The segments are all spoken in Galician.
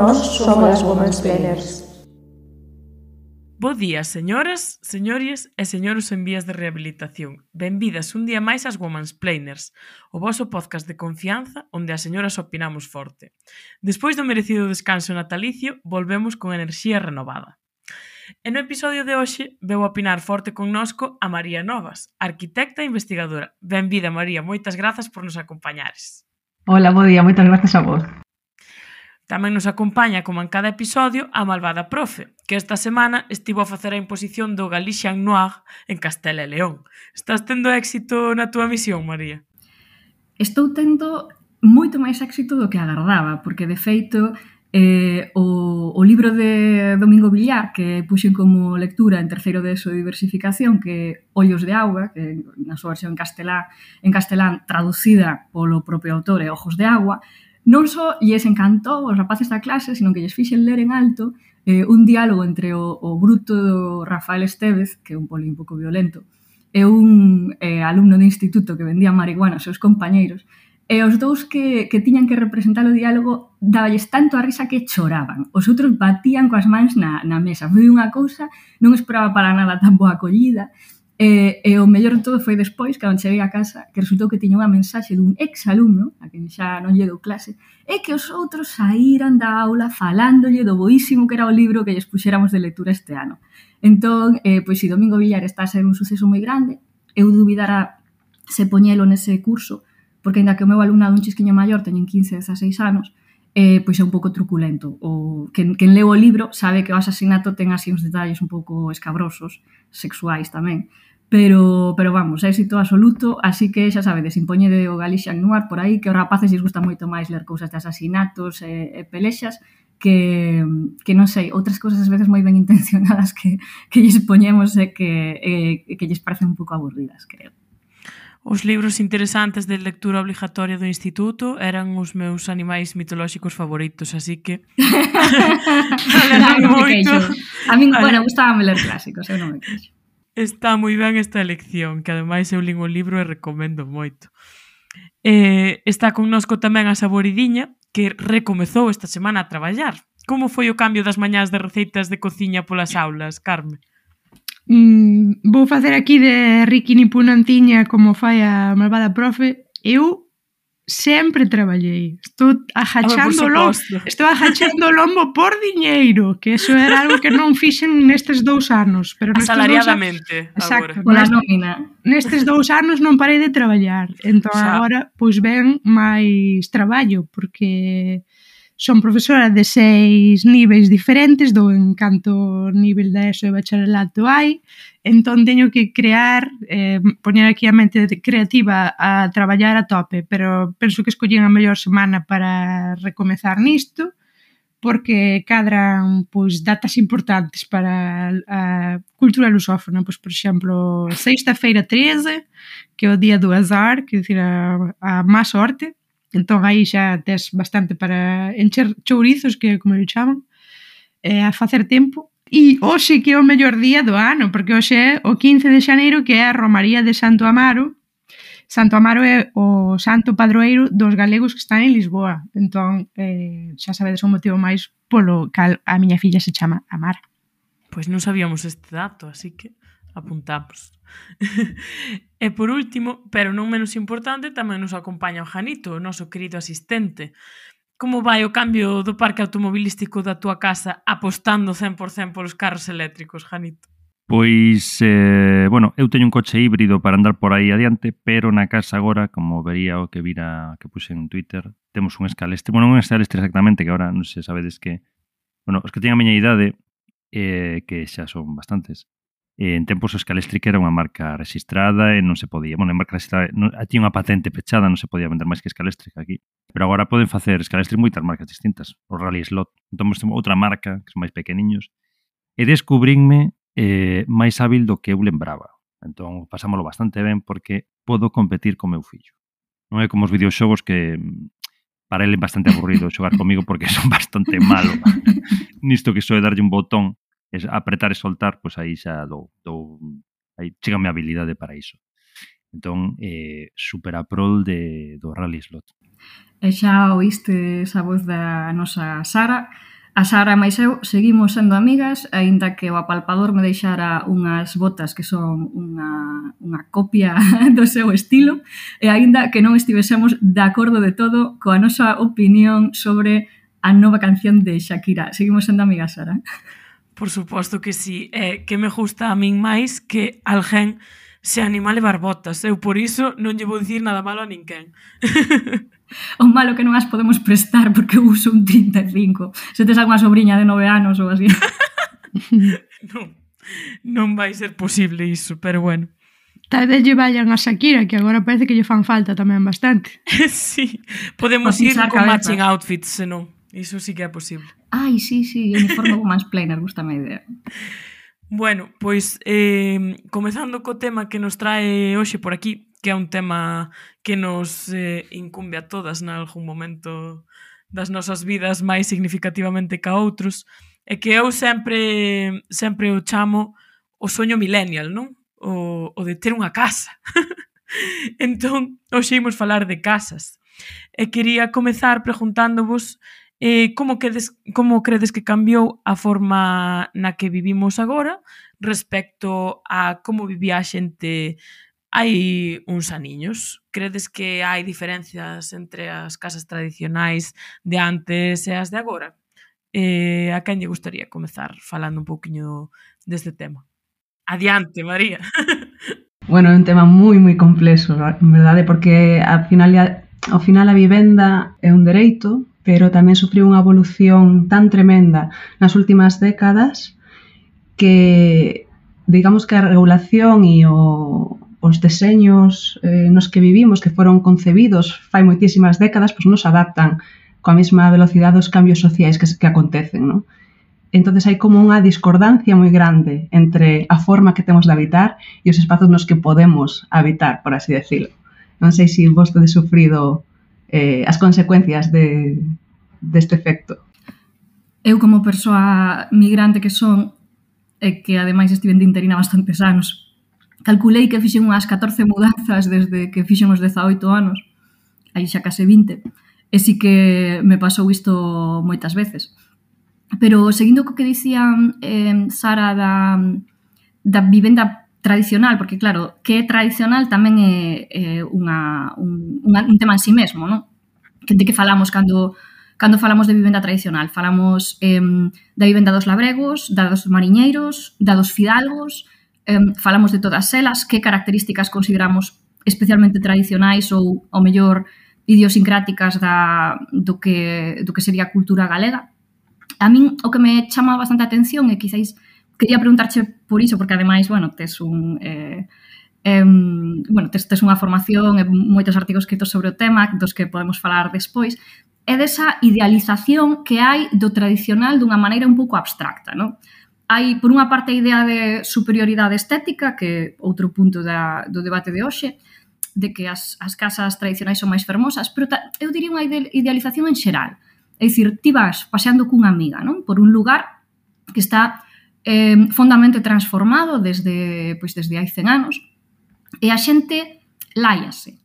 Nós somos as Womansplainers. Bo día, señoras, señores e señores en vías de rehabilitación. Benvidas un día máis ás Womansplainers, o voso podcast de confianza onde as señoras opinamos forte. Despois do merecido descanso natalicio, volvemos con enerxía renovada. E no episodio de hoxe veu opinar forte connosco a María Novas, arquitecta e investigadora. Benvida, María, moitas grazas por nos acompañares. Hola, bo día, moitas grazas a vos. Tamén nos acompaña, como en cada episodio, a malvada profe, que esta semana estivo a facer a imposición do Galician Noir en Castela e León. Estás tendo éxito na túa misión, María? Estou tendo moito máis éxito do que agardaba, porque, de feito, o libro de Domingo Villar, que puxen como lectura en terceiro de ESO de diversificación, que Ollos de Auga, que na súa versión en castelán traducida polo propio autor é Ojos de Agua, non só lles encantou aos rapaces da clase, sino que lles fixen ler en alto un diálogo entre o bruto do Rafael Estévez, que é un poli un pouco violento, e un alumno de instituto que vendía marihuana aos seus compañeiros, e os dous que tiñan que representar o diálogo daballes tanto a risa que choraban. Os outros batían coas mans na mesa. Foi unha cousa, non esperaba para nada tan boa acollida, e o mellor de todo foi despois, cando cheguei a casa, que resultou que tiña unha mensaxe dun ex-alumno, a quen xa non lle dou clase, e que os outros saíran da aula falándolle do boísimo que era o libro que lles puxéramos de lectura este ano. Entón, pois si Domingo Villar está a ser un suceso moi grande, eu dubidara se poñelo nese curso, porque ainda que o meu alumnado un chisquiño maior teñen 15, 16 anos, pois é un pouco truculento. O quen leu o libro sabe que o asasinato ten así uns detalles un pouco escabrosos, sexuais tamén, pero vamos, éxito absoluto, así que xa sabedes, impoñede o Galician Noir por aí, que os rapaces lles gusta moito máis ler cousas de asasinatos e pelexas que non sei, outras cousas ás veces moi ben intencionadas que lles poñemos e que lles parecen un pouco aburridas, creo. Os libros interesantes de lectura obligatoria do instituto eran os meus animais mitolóxicos favoritos, así que... A min, bueno, gustábame ler clásicos, eu non me queixo. Está moi ben esta elección, que ademais eu lín o libro e recomendo moito. Está connosco tamén a Saboridiña, que recomezou esta semana a traballar. Como foi o cambio das mañás de receitas de cociña polas aulas, Carme? Vou facer aquí de Ricky Nipunantiña como fai a malvada profe. Eu sempre traballei. Estou agachando o lombo por diñeiro, que eso era algo que non fixen nestes 2 anos. Pero asalariadamente, exacto, pola nómina. Nestes 2 anos non parei de traballar. Entón agora, pois ven máis traballo, porque son profesora de 6 niveis diferentes, do en canto nivel da ESO e bacharelato hai, entón teño que crear, poñer aquí a mente creativa a traballar a tope, pero penso que escollín a mellor semana para recomezar nisto, porque cadran pois datas importantes para a cultura lusófona, pois por exemplo, sexta-feira 13, que é o día do azar, que é dicir a má sorte. Entón aí xa tes bastante para encher chourizos, que é como lle chaman, a facer tempo. E hoxe que é o mellor día do ano, porque hoxe é o 15 de xaneiro, que é a Romaría de Santo Amaro. Santo Amaro é o santo padroeiro dos galegos que están en Lisboa. Entón, xa sabedes o motivo máis polo cal a miña filla se chama Amara. Pois non sabíamos este dato, así que apuntamos. E por último, pero non menos importante, tamén nos acompaña o Janito, o noso querido asistente. Como vai o cambio do parque automobilístico da túa casa apostando 100% polos carros eléctricos, Janito? Pois, bueno, eu teño un coche híbrido para andar por aí adiante, pero na casa agora, como vería o que vira que puse en Twitter, temos un escalestre, bueno, non un escalestre exactamente, que agora non sei, sabedes que, bueno, os que teñen a miña idade, que xa son bastantes, en tempos o Scalestri era unha marca registrada e non se podía, bueno, a marca registrada tiña unha patente pechada, non se podía vender máis que Scalestri aquí, pero agora poden facer Scalestri moitas marcas distintas, o Rally Slot. Entón, outra marca, que son máis pequeniños, e descubrinme máis hábil do que eu lembraba. Entón, pasámolo bastante ben porque podo competir co meu fillo. Non é como os videoxogos que para ele é bastante aburrido xogar comigo porque son bastante malo. Nisto que só é darlle un botón, apretar e soltar, pois aí xa aí chega a minha habilidade para iso. Entón, super a prol do Rally Slot. E xa oíste esa voz da nosa Sara, A Sara máis eu seguimos sendo amigas, aínda que o apalpador me deixara unhas botas que son unha copia do seu estilo, e aínda que non estivésemos de acordo de todo coa nosa opinión sobre a nova canción de Shakira. Seguimos sendo amigas, Sara? Por suposto que sí. Que me gusta a min máis que alguén se anima a levar botas. Eu por iso non lle vou dicir nada malo a ninguén. O malo que non as podemos prestar porque eu uso un 35. Se tes algunha sobrinha de 9 anos ou así. Non vai ser posible iso, pero bueno. Tal vez lle vayan a Shakira, que agora parece que lle fan falta tamén bastante. Sí, podemos ir con matching outfits, senón. Iso sí que é posible. Ai, sí, uniforme mansplainer, gustame a idea. Bueno, pois, comezando co tema que nos trae hoxe por aquí, que é un tema que nos incumbe a todas nalgún momento das nosas vidas máis significativamente ca outros, é que eu sempre o chamo o soño millennial, non? O de ter unha casa. Entón, hoxe imos falar de casas. E quería comezar preguntándovos como credes que cambiou a forma na que vivimos agora respecto a como vivía a xente hai uns aniños. Credes que hai diferencias entre as casas tradicionais de antes e as de agora? A quen lle gustaría comezar falando un pouquiño deste tema? Adiante, María. Bueno, é un tema moi complexo, en verdade, porque ao final a vivenda é un dereito, pero tamén sufriu unha evolución tan tremenda nas últimas décadas que, digamos que a regulación e os deseños nos que vivimos, que foron concebidos fai moitísimas décadas, pois nos adaptan coa mesma velocidade dos cambios sociais que acontecen, non? Entonces hai como unha discordancia moi grande entre a forma que temos de habitar e os espazos nos que podemos habitar, por así decirlo. Non sei se vos tedes sufrido as consecuencias deste efecto. Eu como persoa migrante que son, e que ademais estive de interina bastantes anos, calculei que fixen unhas 14 mudanzas desde que fixen os 18 anos, aí xa case 20, e si que me pasou isto moitas veces. Pero seguindo co que dicía Sara da vivenda tradicional, porque claro, que é tradicional tamén é un tema en si mesmo, non? De que falamos cando falamos de vivenda tradicional? Falamos da vivenda dos labregos, da dos mariñeiros, da dos fidalgos, falamos de todas elas, que características consideramos especialmente tradicionais ou, ao mellor, idiosincráticas do que sería a cultura galega. A min o que me chama bastante a atención e quizáis quería preguntarche por iso, porque ademais, bueno, tes unha formación e moitos artigos escritos sobre o tema, dos que podemos falar despois, é desa idealización que hai do tradicional dunha maneira un pouco abstracta, non? Hai, por unha parte, a idea de superioridade estética, que é outro punto do debate de hoxe, de que as casas tradicionais son máis fermosas, pero eu diría unha idealización en xeral. É dicir, ti vas paseando cunha amiga, non? Por un lugar que está fondamente transformado desde hai 100 anos, e a xente láiase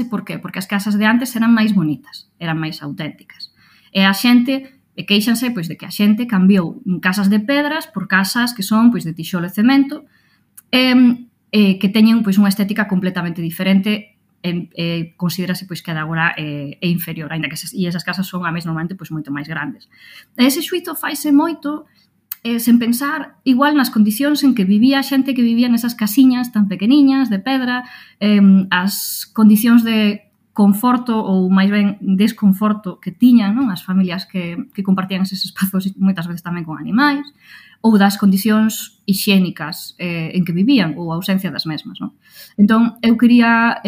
por qué? Porque as casas de antes eran máis bonitas, eran máis auténticas. E a xente queixanse de que a xente cambiou casas de pedras por casas que son de tixolo e cemento, que teñen unha estética completamente diferente, considerase que a de agora é inferior, aínda que esas casas son a mes normalmente moito máis grandes. E ese xuízo faise moito sen pensar igual nas condicións en que vivía a xente que vivía nesas casiñas tan pequeniñas, de pedra, as condicións de conforto ou máis ben desconforto que tiñan, non? As familias que compartían eses espazos moitas veces tamén con animais, ou das condicións hixiénicas en que vivían ou a ausencia das mesmas, non? Entón, eu quería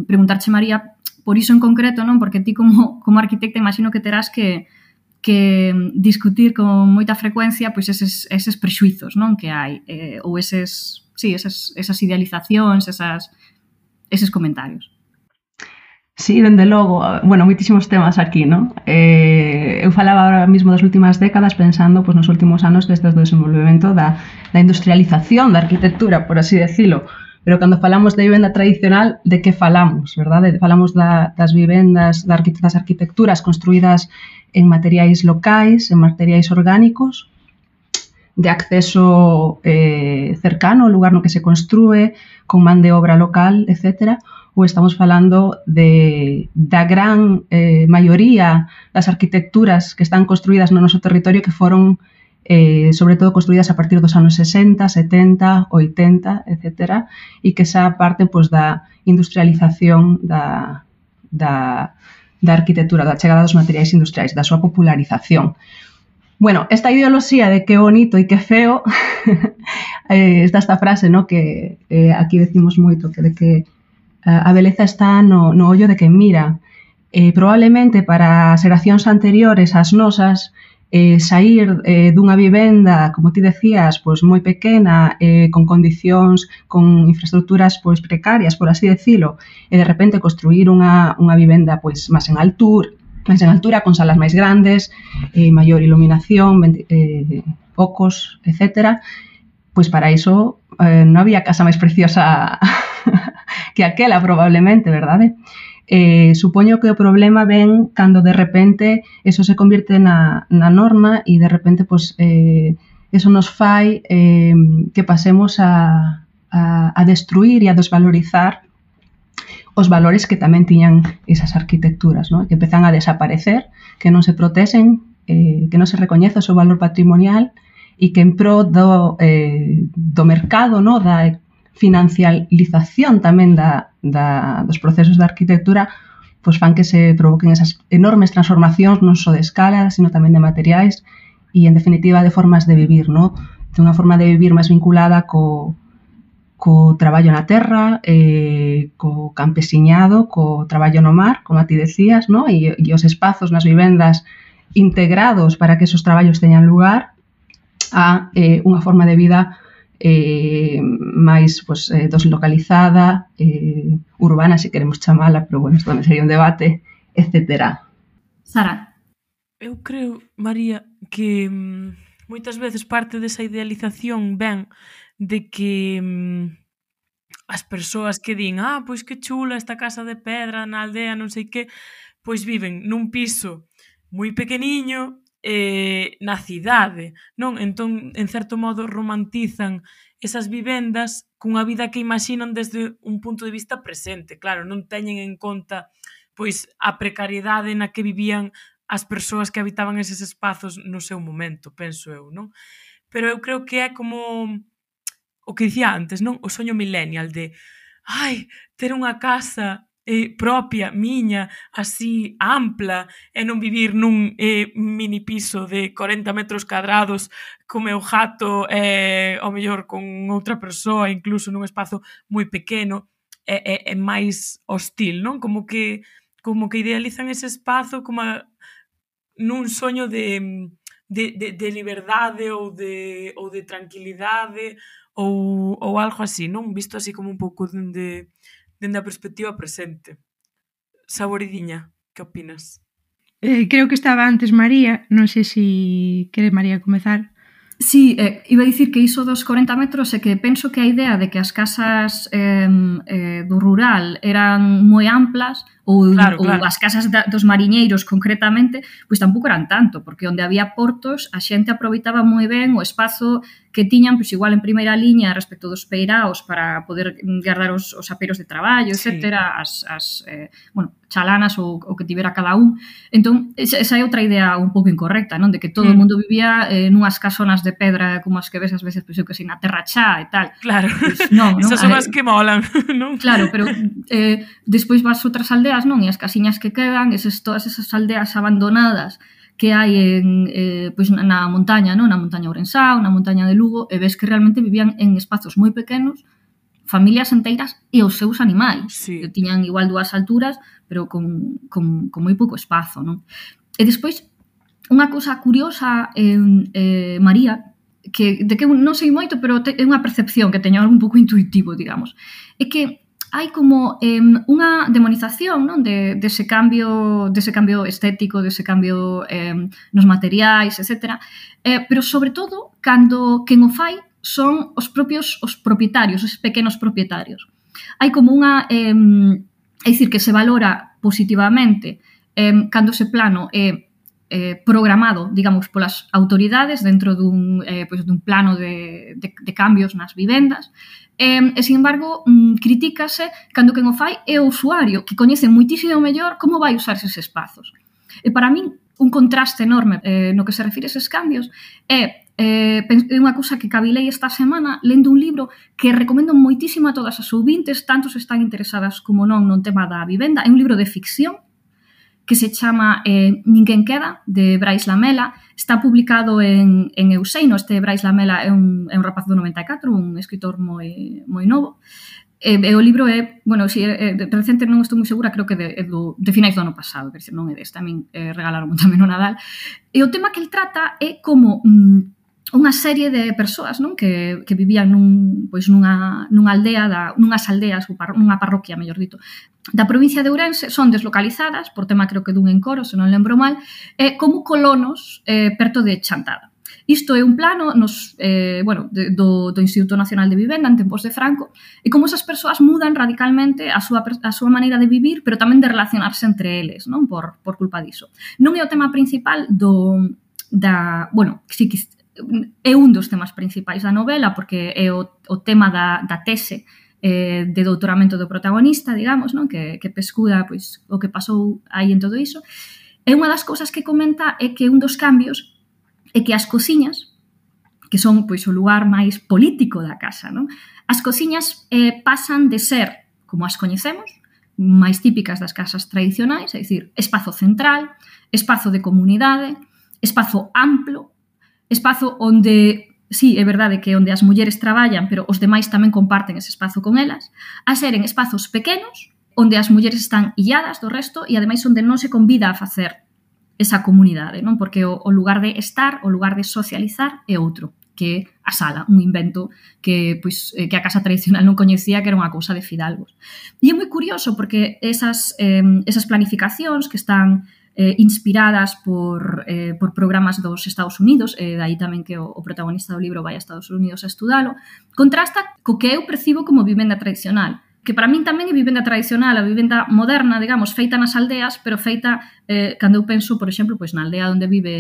preguntarche, María, por iso en concreto, non? Porque ti como arquitecta imagino que terás que discutir con moita frecuencia eses prexuizos, non? Que hai, ou esas idealizacións, eses comentarios. Sí, dende logo, bueno, moitísimos temas aquí, non? Eu falaba ahora mesmo das últimas décadas pensando nos últimos anos desde o desenvolvemento da industrialización da arquitectura, por así decirlo. Pero cando falamos de vivenda tradicional, de que falamos, verdade? Falamos das vivendas, das arquitecturas construídas en materiais locais, en materiais orgánicos, de acceso cercano ao lugar no que se construe, con man de obra local, etc., ou estamos falando da gran maioría das arquitecturas que están construídas no noso territorio que foron sobre todo construídas a partir dos anos 60, 70, 80, etc., e que esa parte pues, da industrialización da arquitectura, da chegada dos materiais industriais, da súa popularización. Bueno, esta ideoloxía de que bonito e que feo, está esta frase, ¿no? Que aquí decimos moito, que de que a beleza está no ollo de quen mira. Probablemente para as xeracións anteriores ás nosas, sair dunha vivenda, como ti decías, pois moi pequena, con condicións, con infraestructuras pois precarias, por así decilo, e de repente construir unha vivenda pois máis en altura, con salas máis grandes, maior iluminación, focos, etc. Pois para iso non había casa máis preciosa que aquela, probablemente, verdade? Supoño que o problema ven cando de repente eso se convierte na norma e de repente pues, eso nos fai que pasemos a destruir e a desvalorizar os valores que tamén tiñan esas arquitecturas, ¿no? Que empezan a desaparecer, que non se protexen, que non se recoñece o seu valor patrimonial e que en pro do mercado, ¿no? Da financialización tamén dos procesos de arquitectura, pois fan que se provoquen esas enormes transformacións non só de escala, sino tamén de materiais e, en definitiva, de formas de vivir, ¿no? De unha forma de vivir máis vinculada co traballo na terra, co campesiñado, co traballo no mar, como a ti decías, ¿no? E os espazos nas vivendas integrados para que esos traballos teñan lugar a unha forma de vida máis pues, deslocalizada, urbana, se queremos chamala, pero bueno, isto tamén sería un debate, etc. Sara? Eu creo, María, que moitas veces parte desa idealización ven de que as persoas que din pois que chula esta casa de pedra na aldea, non sei que, pois viven nun piso moi pequeniño na cidade, non? Entón, en certo modo, romantizan esas vivendas cunha vida que imaxinan desde un punto de vista presente. Claro, non teñen en conta pois a precariedade na que vivían as persoas que habitaban eses espazos no seu momento, penso eu, non? Pero eu creo que é como o que dicía antes, non? O soño millennial de ter unha casa propia, miña, así ampla, e non vivir nun mini piso de 40 metros cadrados co meu gato ao mellor con outra persoa, incluso nun espazo moi pequeno, é máis hostil, non? Como que idealizan ese espazo como nun soño de liberdade ou de tranquilidade ou algo así, non? Visto así como un pouco dende a perspectiva presente. Saboridiña, que opinas? Creo que estaba antes María, non sei se quere María comezar. Sí, iba a dicir que iso dos 40 metros é que penso que a idea de que as casas do rural eran moi amplas ou as casas dos mariñeiros concretamente, pois tampouco eran tanto, porque onde había portos a xente aproveitaba moi ben o espazo que tiñan, pois igual en primeira liña respecto dos peiraos para poder guardar os aperos de traballo, etcétera, as chalanas ou que tivera cada un. Entón, esa é outra idea un pouco incorrecta, non? De que todo o mundo vivía nunhas casonas de pedra como as que ves ás veces, pois eu que sei, na terra chá e tal. Claro, pues, non, esas son as que molan, non? Claro, pero despois vas a outras aldeas, non? E as casiñas que quedan, todas esas aldeas abandonadas que hai pois na montaña, non? Na montaña Ourensá, na montaña de Lugo, e ves que realmente vivían en espazos moi pequenos, familias enteiras e os seus animais. Sí. Que tiñan igual 2 alturas, pero con moi pouco espazo, non? E despois, unha cousa curiosa, María, de que non sei moito, pero é unha percepción que teño algo un pouco intuitivo, digamos, é que hai como unha demonización, non? Dese cambio estético, dese cambio nos materiais, etc. Pero, sobre todo, cando quen o fai son os propietarios, os pequenos propietarios. Hai como unha... é dicir, que se valora positivamente cando ese plano é programado, digamos, polas autoridades dentro dun plano de cambios nas vivendas, e, sin embargo, critícase cando quen o fai é o usuario, que coñece moitísimo mellor como vai usar eses espazos. E para min, un contraste enorme no que se refire a eses cambios é unha cousa que cavilei esta semana lendo un libro que recomendo moitísimo a todas as ouvintes, tanto se están interesadas como non no tema da vivenda. É un libro de ficción que se chama Ninguén queda, de Brais Lamela. Está publicado en Euseino. Este Brais Lamela é un rapaz do 94, un escritor moi novo. E o libro é, bueno, si recente non estou moi segura, creo que de finais do ano pasado, que non é deste, a min regalaron tamén no Nadal. E o tema que el trata é como unha serie de persoas, non, que vivían nunhas aldeas, nunha parroquia, mellor dito, da provincia de Ourense, son deslocalizadas, por tema creo que dun encoro, se non lembro mal, como colonos perto de Chantada. Isto é un plano do Instituto Nacional de Vivenda en tempos de Franco, e como esas persoas mudan radicalmente a súa maneira de vivir, pero tamén de relacionarse entre eles, non, por culpa diso. Non é o tema principal sí que é un dos temas principais da novela, porque é o tema da tese de doutoramento do protagonista, digamos, non? Que pescuda pois, o que pasou aí en todo iso. E unha das cousas que comenta é que un dos cambios é que as cociñas, que son pois, o lugar máis político da casa, non? As cociñas pasan de ser, como as coñecemos, máis típicas das casas tradicionais, é dicir, espazo central, espazo de comunidade, espazo amplo, espazo onde, sí, é verdade que onde as mulleres traballan, pero os demais tamén comparten ese espazo con elas, a seren espazos pequenos, onde as mulleres están illadas do resto e ademais onde non se convida a facer esa comunidade, non? Porque o lugar de estar, o lugar de socializar é outro, que a sala, un invento que a casa tradicional non coñecía, que era unha cousa de fidalgos. E é moi curioso porque esas planificacións que están inspiradas por programas dos Estados Unidos, dai tamén que o protagonista do libro vai a Estados Unidos a estudalo, contrasta co que eu percibo como vivenda tradicional, que para min tamén é vivenda tradicional, a vivenda moderna, digamos, feita nas aldeas, pero feita, cando eu penso, por exemplo, pois na aldea onde vive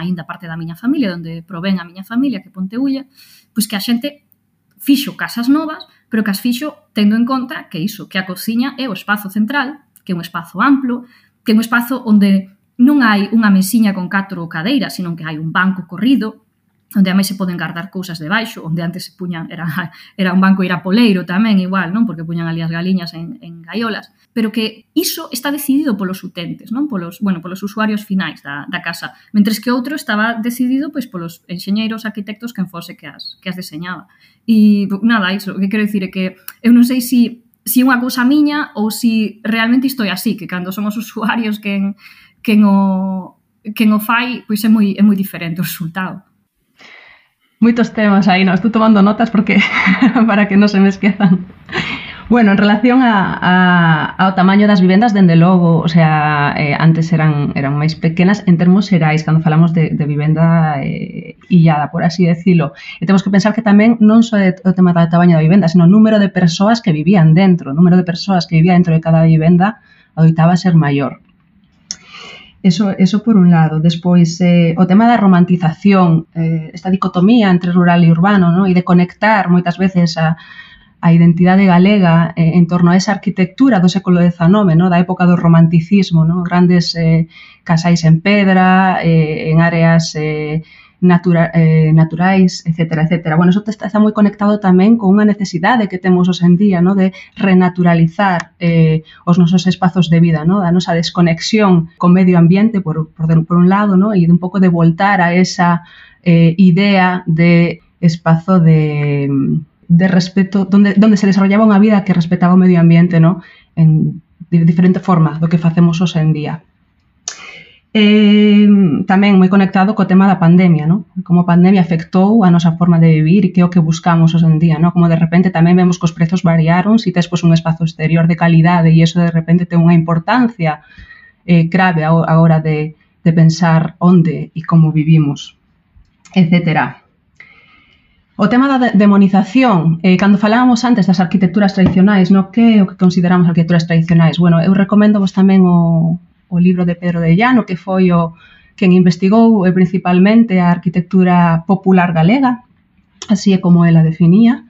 aínda parte da miña familia, onde provén a miña familia, que é Ponteulla, pois que a xente fixo casas novas, pero que as fixo tendo en conta que iso, que a cociña é o espazo central, que é un espazo amplo, que é un espazo onde non hai unha mesiña con 4 cadeiras, sino que hai un banco corrido, onde a máis se poden guardar cousas debaixo, onde antes se puñan, era un banco irapoleiro tamén, igual, non? Porque puñan ali as galiñas en gaiolas, pero que iso está decidido polos utentes, non? Polos usuarios finais da casa, mentres que outro estaba decidido pois polos enxeñeiros, arquitectos, quen fose que as deseñaba. E nada, iso, o que quero dicir é que eu non sei se é unha cousa miña ou se realmente isto é así, que cando somos usuarios quen o fai, pois é moi diferente o resultado. Moitos temas aí, non? Estou tomando notas porque para que non se me esquezan. Bueno, en relación ao tamaño das vivendas, dende logo, o sea, antes eran máis pequenas en termos xerais, cando falamos de vivenda illada, por así decirlo. E temos que pensar que tamén non só o tema do tamaño da vivenda, sino o número de persoas que vivían dentro. O número de persoas que vivía dentro de cada vivenda adoitaba ser maior. Eso por un lado. Despois, o tema da romantización, esta dicotomía entre rural e urbano, ¿no? E de conectar moitas veces a identidade galega en torno a esa arquitectura do século XIX, ¿no? Da época do romanticismo, ¿no? Grandes casais en pedra, en áreas naturais, etcétera, etcétera. Bueno, eso está moi conectado tamén con unha necesidade que temos hoxe en día, ¿no? De renaturalizar os nosos espazos de vida, ¿no? Da nosa desconexión con medio ambiente, por un lado, ¿no? E un pouco de voltar a esa idea de espazo de respeto, donde se desarrollaba unha vida que respetaba o medio ambiente, ¿no? De diferente forma do que facemos hoxe en día. Tamén moi conectado co tema da pandemia, ¿no? Como a pandemia afectou a nosa forma de vivir e que é o que buscamos hoxe en día, ¿no? Como de repente tamén vemos que os prezos variaron, si tes pois, un espazo exterior de calidade e iso de repente ten unha importancia grave a hora de pensar onde e como vivimos, etcétera. O tema da demonización, cando falábamos antes das arquitecturas tradicionais, ¿no? Que é o que consideramos arquitecturas tradicionais? Bueno, eu recomendo vos tamén o o libro de Pedro de Llano, que foi o quen investigou principalmente a arquitectura popular galega, así é como ela definía,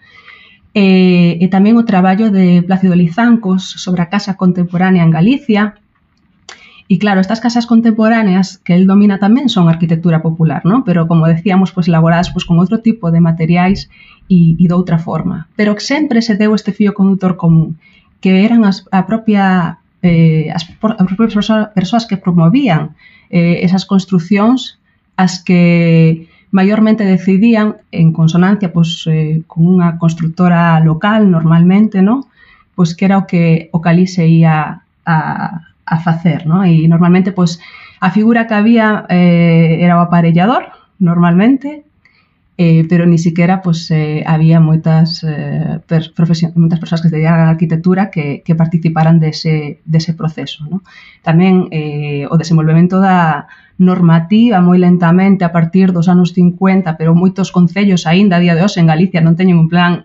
e tamén o traballo de Plácido Lizancos sobre a casa contemporánea en Galicia. E claro, estas casas contemporáneas que él domina tamén son arquitectura popular, ¿no? Pero como decíamos, pues elaboradas pues con outro tipo de materiais e de outra forma. Pero sempre se deu este fío conductor común, que eran as propias persoas que promovían esas construcións as que maiormente decidían en consonancia pues, con unha constructora local normalmente, ¿no? Pues que era o que ali se ia a facer, ¿no? E normalmente pues, a figura que había era o aparellador, normalmente, pero ni siquiera pues, había moitas persoas que se dedicaran á arquitectura que participaran dese proceso, ¿no? Tamén o desenvolvemento da normativa moi lentamente a partir dos anos 50, pero moitos concellos aínda a día de hoxe en Galicia non teñen un plan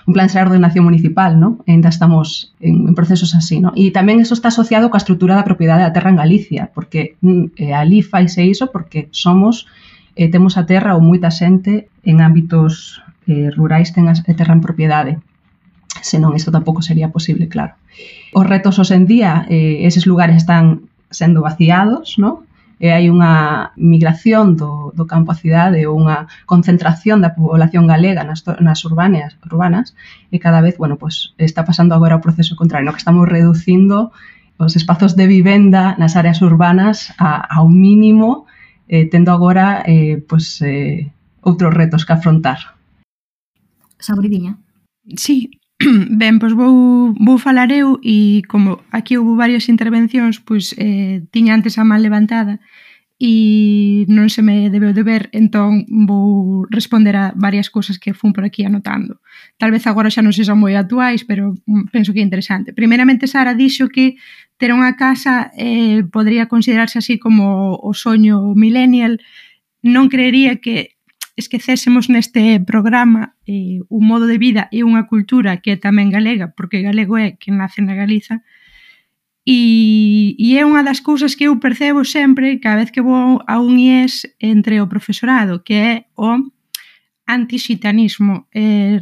de ordenación municipal, ¿no? Ainda estamos en procesos así, ¿no? E tamén eso está asociado coa estrutura da propiedade da terra en Galicia, porque ali faise iso porque temos a terra ou moita xente en ámbitos rurais ten a terra en propiedade. Senón, isto tampouco sería posible, claro. Os retos hoxe en día, eses lugares están sendo vaciados, ¿no? Hai unha migración do campo á cidade ou unha concentración da población galega nas urbanas e cada vez, bueno, pues, está pasando agora o proceso contrario, no que estamos reducindo os espazos de vivenda nas áreas urbanas ao mínimo, tendo agora pues, outros retos que afrontar. Sabridiña. Sí, ben, pois vou falar eu e como aquí houve varias intervencións, pois tiña antes a man levantada e non se me debeu de ver, entón vou responder a varias cousas que fun por aquí anotando. Tal vez agora xa non sexan moi actuais, pero penso que é interesante. Primeiramente, Sara dixo que ter unha casa podría considerarse así como o soño millennial. Non creería que esquecésemos neste programa un modo de vida e unha cultura que é tamén galega, porque galego é que nace na Galiza, e é unha das cousas que eu percebo sempre cada vez que vou a un IES entre o profesorado, que é o antixitanismo.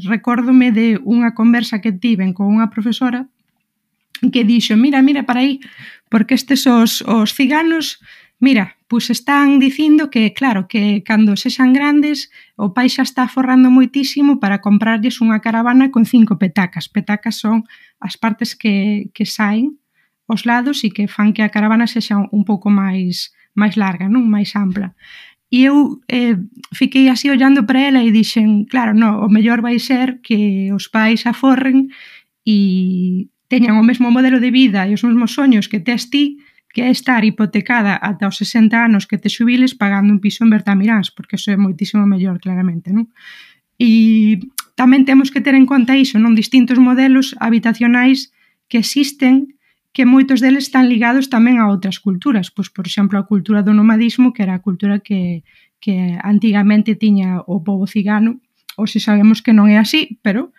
Recórdome de unha conversa que tiven con unha profesora que dixo, mira, para aí, porque estes os ciganos, mira, pois están dicindo que, claro, que cando sexan grandes o pai xa está forrando moitísimo para comprarlles unha caravana con 5 petacas. Petacas son as partes que saen os lados e que fan que a caravana sexa un pouco máis larga, non? Máis ampla. E eu fiquei así ollando para ela e dixen, claro, no, o mellor vai ser que os pais aforren e teñan o mesmo modelo de vida e os mesmos soños que tes ti, que é estar hipotecada ata os 60 anos que te xubiles pagando un piso en Bertamiráns, porque eso é moitísimo mellor, claramente, non? E tamén temos que ter en conta iso, non? Distintos modelos habitacionais que existen, que moitos deles están ligados tamén a outras culturas, pois, por exemplo, a cultura do nomadismo, que era a cultura que antigamente tiña o pobo cigano, hoxe sabemos que non é así, pero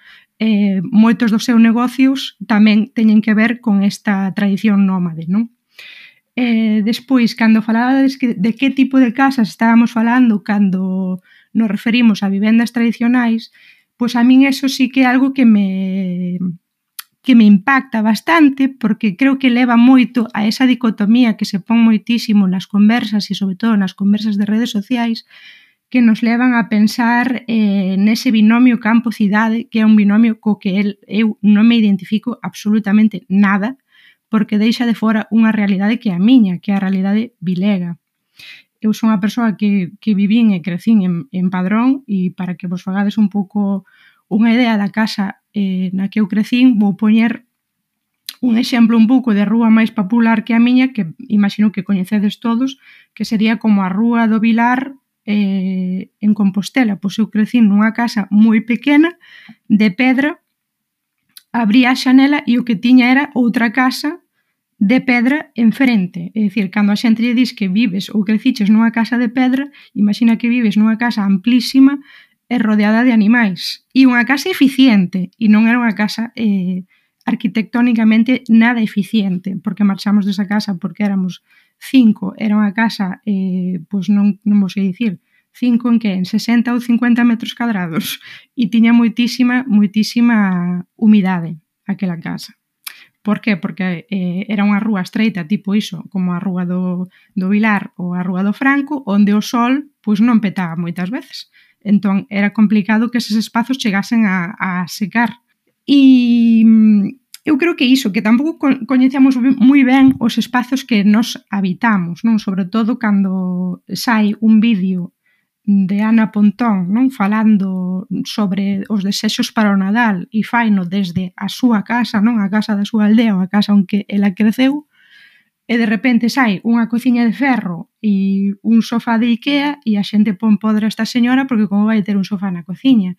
moitos dos seus negocios tamén teñen que ver con esta tradición nómade, non? Despois, cando falabades de que tipo de casas estábamos falando cando nos referimos a vivendas tradicionais, pois a min eso sí que é algo que me impacta bastante, porque creo que leva moito a esa dicotomía que se pon moitísimo nas conversas e sobre todo nas conversas de redes sociais, que nos levan a pensar nese binomio campo-cidade, que é un binomio co que eu non me identifico absolutamente nada, porque deixa de fora unha realidade que é a miña, que é a realidade vilega. Eu son unha persoa que vivín e crecín en Padrón, e para que vos fagades un pouco unha idea da casa na que eu crecín, vou poñer un exemplo un pouco de rúa máis popular que a miña, que imagino que coñecedes todos, que sería como a Rúa do Vilar en Compostela. Pois eu crecín nunha casa moi pequena, de pedra, abría a xanela e o que tiña era outra casa de pedra enfrente. É dicir, cando a xente lle dis que vives ou creciches nunha casa de pedra, imagina que vives nunha casa amplísima e rodeada de animais. E unha casa eficiente, e non era unha casa arquitectónicamente nada eficiente, porque marchamos desa casa porque éramos 5, era unha casa, pois non vou sei dicir, 5 en que? En 60 ou 50 metros cadrados, e tiña moitísima humidade aquela casa. Por que? Porque era unha rúa estreita, tipo iso, como a rúa do Vilar ou a rúa do Franco, onde o sol pois non petaba moitas veces. Entón, era complicado que eses espazos chegasen a secar. E eu creo que iso, que tampouco coñecemos moi ben os espazos que nos habitamos, non? Sobre todo cando sai un vídeo de Ana Pontón, non, falando sobre os desexos para o Nadal e faino desde a súa casa, non, a casa da súa aldea ou a casa onde ela creceu, e de repente sai unha cociña de ferro e un sofá de Ikea e a xente pon podre a esta señora porque como vai ter un sofá na cociña.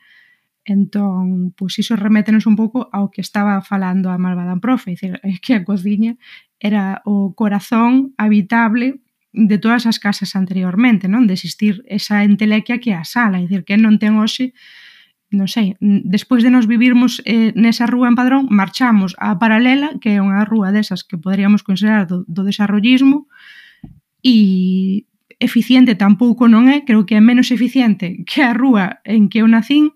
Entón, pois iso remétenos un pouco ao que estaba falando a malvada profe, é que a cociña era o corazón habitable de todas as casas anteriormente, non? De existir esa entelequia que é a sala, é dicir, que non ten hoxe, non sei, despois de nos vivirmos nesa rúa en Padrón, marchamos á Paralela, que é unha rúa desas que poderíamos considerar do desarrollismo, e eficiente tampouco non é, creo que é menos eficiente que a rúa en que eu nacín,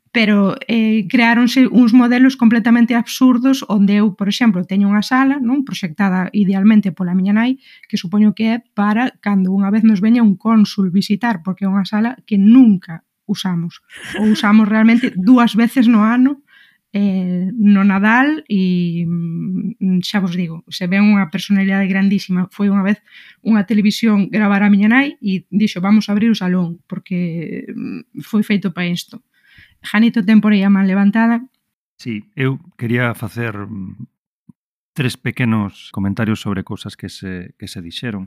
pero creáronse uns modelos completamente absurdos onde eu, por exemplo, teño unha sala, non, proxectada idealmente pola miña nai, que supoño que é para cando unha vez nos veña un cónsul visitar, porque é unha sala que nunca usamos, ou usamos realmente 2 veces no ano, no Nadal, e xa vos digo, se ven unha personalidade grandísima. Foi unha vez unha televisión gravar a miña nai e dixo, vamos a abrir o salón, porque foi feito para isto. Janito ten por aí a man levantada. Sí, eu quería facer 3 pequenos comentarios sobre cousas que se dixeron.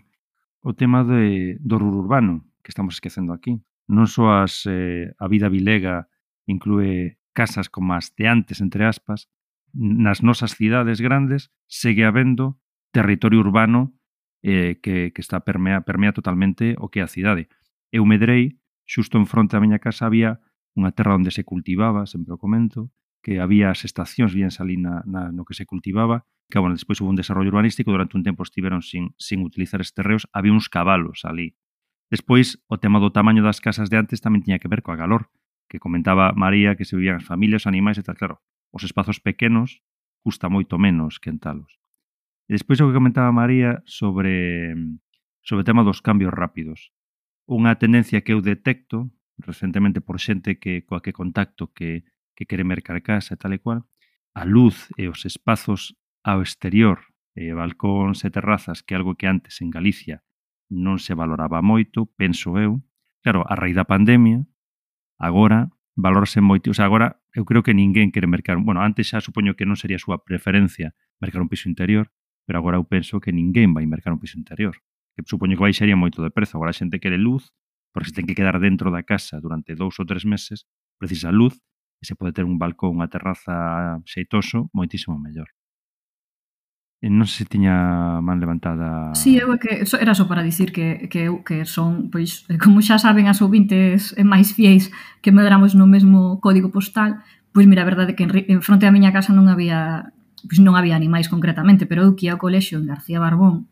O tema do rur urbano, que estamos esquecendo aquí. Non só a vida vilega inclúe casas como as de antes, entre aspas, nas nosas cidades grandes segue habendo territorio urbano que está permea totalmente o que é a cidade. Eu medrei, xusto en fronte da miña casa había unha terra onde se cultivaba, sempre o comento, que había as estacións bien ali no que se cultivaba, que, bueno, despois hubo un desarrollo urbanístico, durante un tempo estiveron sin utilizar estes terreos, había uns cabalos ali. Despois, o tema do tamaño das casas de antes tamén tiña que ver coa calor, que comentaba María que se vivían as familias, os animais e tal, claro, os espazos pequenos custa moito menos que entalos. E despois o que comentaba María sobre o tema dos cambios rápidos. Unha tendencia que eu detecto recentemente por xente coa que contacto que quere mercar casa e tal e cual, a luz e os espazos ao exterior, balcóns e terrazas, que é algo que antes en Galicia non se valoraba moito, penso eu. Claro, a raíz da pandemia, agora valorase moito, o sea, agora eu creo que ninguén quere mercar, bueno, antes xa supoño que non sería a súa preferencia mercar un piso interior, pero agora eu penso que ninguén vai mercar un piso interior, que supoño que baixaría moito de prezo. Agora a xente quere luz, porque se ten que quedar dentro da casa durante 2 ou 3 meses, precisa luz, e se pode ter un balcón, unha terraza xeitoso, moitísimo mellor. E non sei se tiña man levantada... Sí, eu que era só para dicir que eu que son, pois, como xa saben as ouvintes máis fiéis que medramos no mesmo código postal, pois mira, a verdade é que en fronte á miña casa non había animais concretamente, pero eu que ia ao colexio en García Barbón,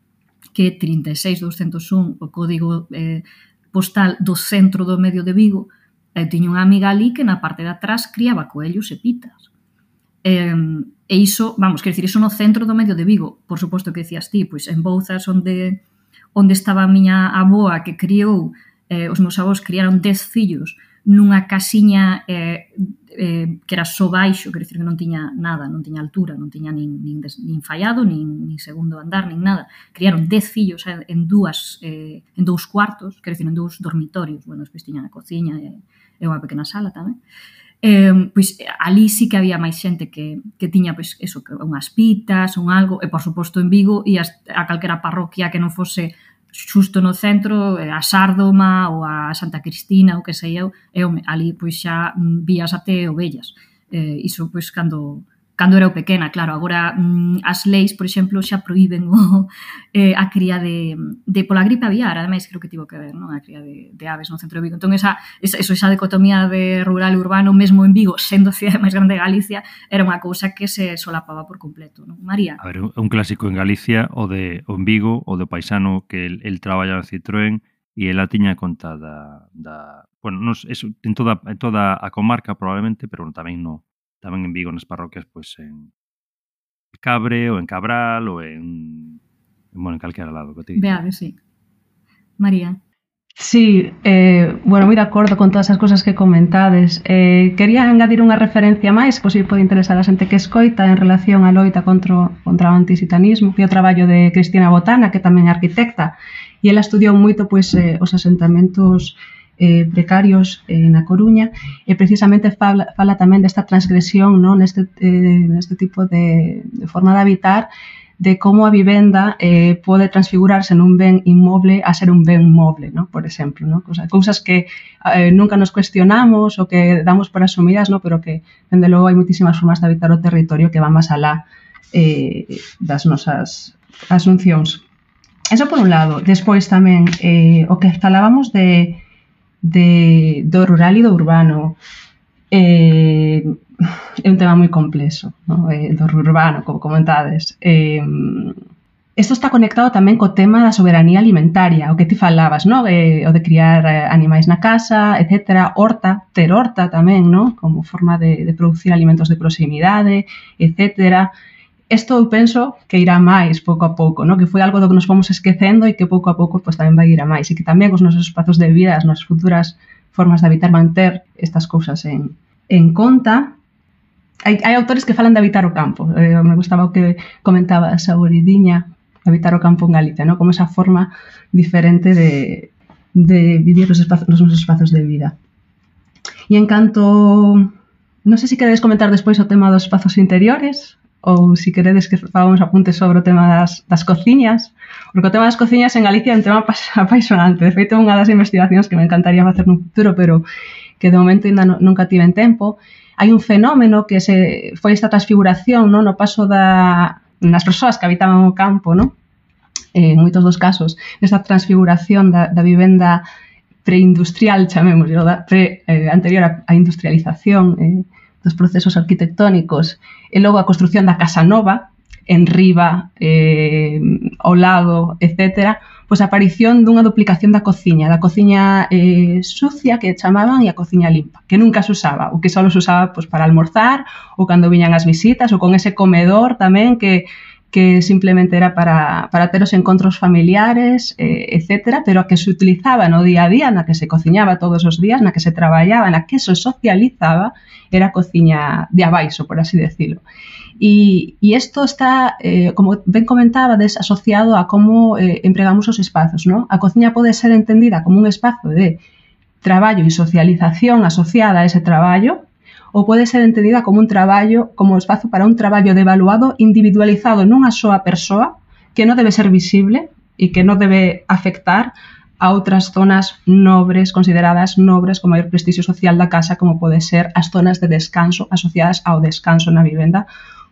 que é 36201, o código postal do centro do medio de Vigo, eu tiña unha amiga ali que na parte de atrás criaba coellos e pitas. E iso, vamos, quer dicir, iso no centro do medio de Vigo. Por suposto que decías ti, pois en Bouzas, onde estaba a miña avoa que criou, os meus avós criaron 10 fillos nunha casiña que era só baixo, quer dicir que non tiña nada, non tiña altura, non tiña nin fallado, nin segundo andar, nin nada. Criaron 10 fillos en dous cuartos, quer dicir, en 2 dormitorios. Bueno, despois tiñan a cociña e unha pequena sala tamén. Pois ali sí que había máis xente que tiña pois eso, unhas pitas, un algo, e por suposto en Vigo ias a calquera parroquia que non fose xusto no centro, a Sárdoma ou a Santa Cristina ou que sei eu, e ali pois xa vías até ovellas. Iso pois cando cando era pequena, claro, agora as leis, por exemplo, xa proíben a cría de pola gripe aviar, ademais creo que tivo que ver, non? A cría de aves no centro de Vigo. Entón, esa dicotomía de rural e urbano, mesmo en Vigo, sendo a cidade máis grande de Galicia, era unha cousa que se solapaba por completo, non? María? A ver, un clásico en Galicia, o en Vigo, o do paisano que el traballa no Citroën e ela tiña conta bueno, eso, en toda a comarca probablemente, pero tamén en Vigo, nas parroquias, pois en Cabre, ou en Cabral, ou en calquera lado. Beade, sí. María? Sí, bueno, moi de acordo con todas as cosas que comentades. Quería engadir unha referencia máis, pois pode interesar a xente que escoita en relación á loita contra o antisitanismo, que é o traballo de Cristina Botana, que tamén é arquitecta, e ela estudiou moito pois os asentamentos precarios na Coruña, e precisamente fala tamén desta transgresión, non, neste tipo de forma de habitar, de como a vivenda pode transfigurarse nun ben inmoble a ser un ben moble, ¿no? Por exemplo, ¿no? Cousas que nunca nos cuestionamos ou que damos por asumidas, ¿no? Pero que, dende logo, hai moitísimas formas de habitar o territorio que van máis alá das nosas asuncións. Eso por un lado. Despois tamén, o que falábamos do rural e do urbano, é un tema moi complexo, ¿no? Do urbano, como comentades. Isto está conectado tamén co tema da soberanía alimentaria, o que ti falabas, ¿no? O de criar animais na casa, etc. Ter horta tamén, ¿no? Como forma de producir alimentos de proximidade, etc. Isto eu penso que irá máis pouco a pouco, ¿no? Que foi algo do que nos fomos esquecendo e que pouco a pouco pues, tamén vai ir a máis, e que tamén os nosos espazos de vida, as nosas futuras formas de habitar, manter estas cousas en conta. Hai autores que falan de habitar o campo. Me gustaba o que comentaba a Saboridiña, habitar o campo en Galicia, ¿no? Como esa forma diferente de vivir os nosos espazos de vida. E en canto... Non sei se queredes comentar despois o tema dos espazos interiores, ou se queredes que fagamos apuntes sobre o tema das cociñas, porque o tema das cociñas en Galicia é un tema apaixonante. De feito, é unha das investigacións que me encantaría facer no futuro, pero que de momento ainda nunca tiven tempo. Hai un fenómeno que foi esta transfiguración, no paso nas persoas que habitaban o campo, no? En moitos dos casos, esta transfiguración da vivenda preindustrial, chamémoslo, anterior á industrialización, dos procesos arquitectónicos, e logo a construción da casa nova, en riba, ao lado, etc., pois a aparición dunha duplicación da cociña sucia, que chamaban, e a cociña limpa, que nunca se usaba, o que só se usaba pois, para almorzar, ou cando viñan as visitas, ou con ese comedor tamén que simplemente era para ter os encontros familiares, etc., pero a que se utilizaba no día a día, na que se cociñaba todos os días, na que se traballaba, na que se socializaba, era a cociña de abaixo, por así decirlo. E isto está, como ben comentabades, asociado a como empregamos os espazos, ¿no? A cociña pode ser entendida como un espazo de traballo e socialización asociada a ese traballo, ou pode ser entendida como como espazo para un traballo devaluado, individualizado nunha soa persoa, que non debe ser visible e que non debe afectar a outras zonas nobres, consideradas nobres, con maior prestixio social da casa, como pode ser as zonas de descanso asociadas ao descanso na vivenda,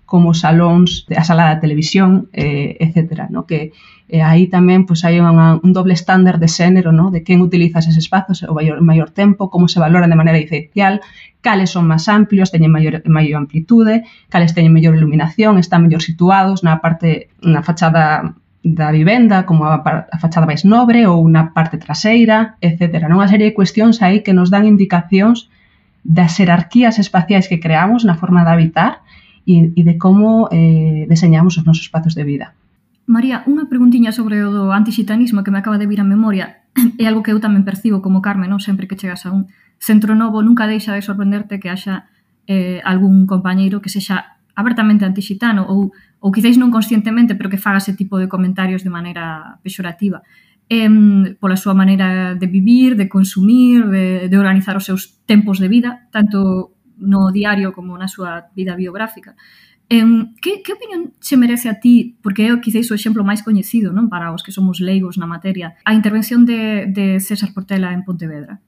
como salóns, a sala da televisión, etc. ¿no? Que aí tamén pues, hai un doble estándar de xénero, ¿no? De quen utiliza eses espazos o maior tempo, como se valoran de maneira diferencial, cales son máis amplios, teñen maior amplitude, cales teñen mellor iluminación, están mellor situados na fachada da vivenda, como a fachada máis nobre ou na parte traseira, etc. Unha serie de cuestións aí que nos dan indicacións das xerarquías espaciais que creamos na forma de habitar e de como deseñamos os nosos espazos de vida. María, unha preguntiña sobre o do antixitanismo que me acaba de vir a memoria. É algo que eu tamén percibo como Carmen, non? Sempre que chegas a un centro novo, nunca deixa de sorprenderte que haxa algún compañeiro que sexa abertamente antixitano ou quizáis non conscientemente, pero que faga ese tipo de comentarios de maneira pexorativa. Pola súa maneira de vivir, de consumir, de organizar os seus tempos de vida, tanto no diario como na súa vida biográfica. Que opinión se merece a ti, porque é quizáis o exemplo máis coñecido, non, para os que somos leigos na materia, a intervención de César Portela en Pontevedra,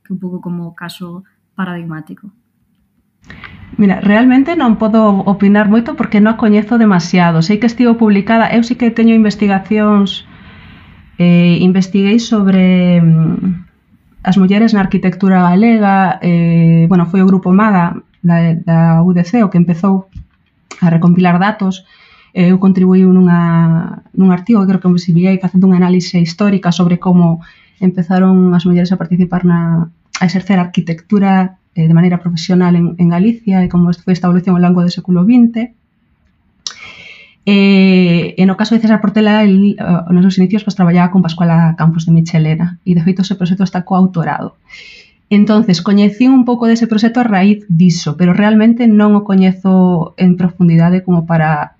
que é un pouco como caso paradigmático? Mira, realmente non podo opinar moito porque non a coñezo demasiado. Sei que estivo publicada, eu sí que teño investigacións, investiguei sobre as mulleres na arquitectura galega, bueno, foi o Grupo MAGA da UDC o que empezou a recompilar datos. Eu contribuí nun artigo que creo que me exhibíei facendo unha análise histórica sobre como empezaron as mulleres a participar a exercer arquitectura de maneira profesional en Galicia e como foi esta evolución ao longo do século XX. E no caso de César Portela, nos seus inicios traballaba con Pascuala Campos de Michelena e de feito ese proxecto está coautorado. Entonces, coñecí un pouco dese proxecto a raíz diso, pero realmente non o coñezo en profundidade como para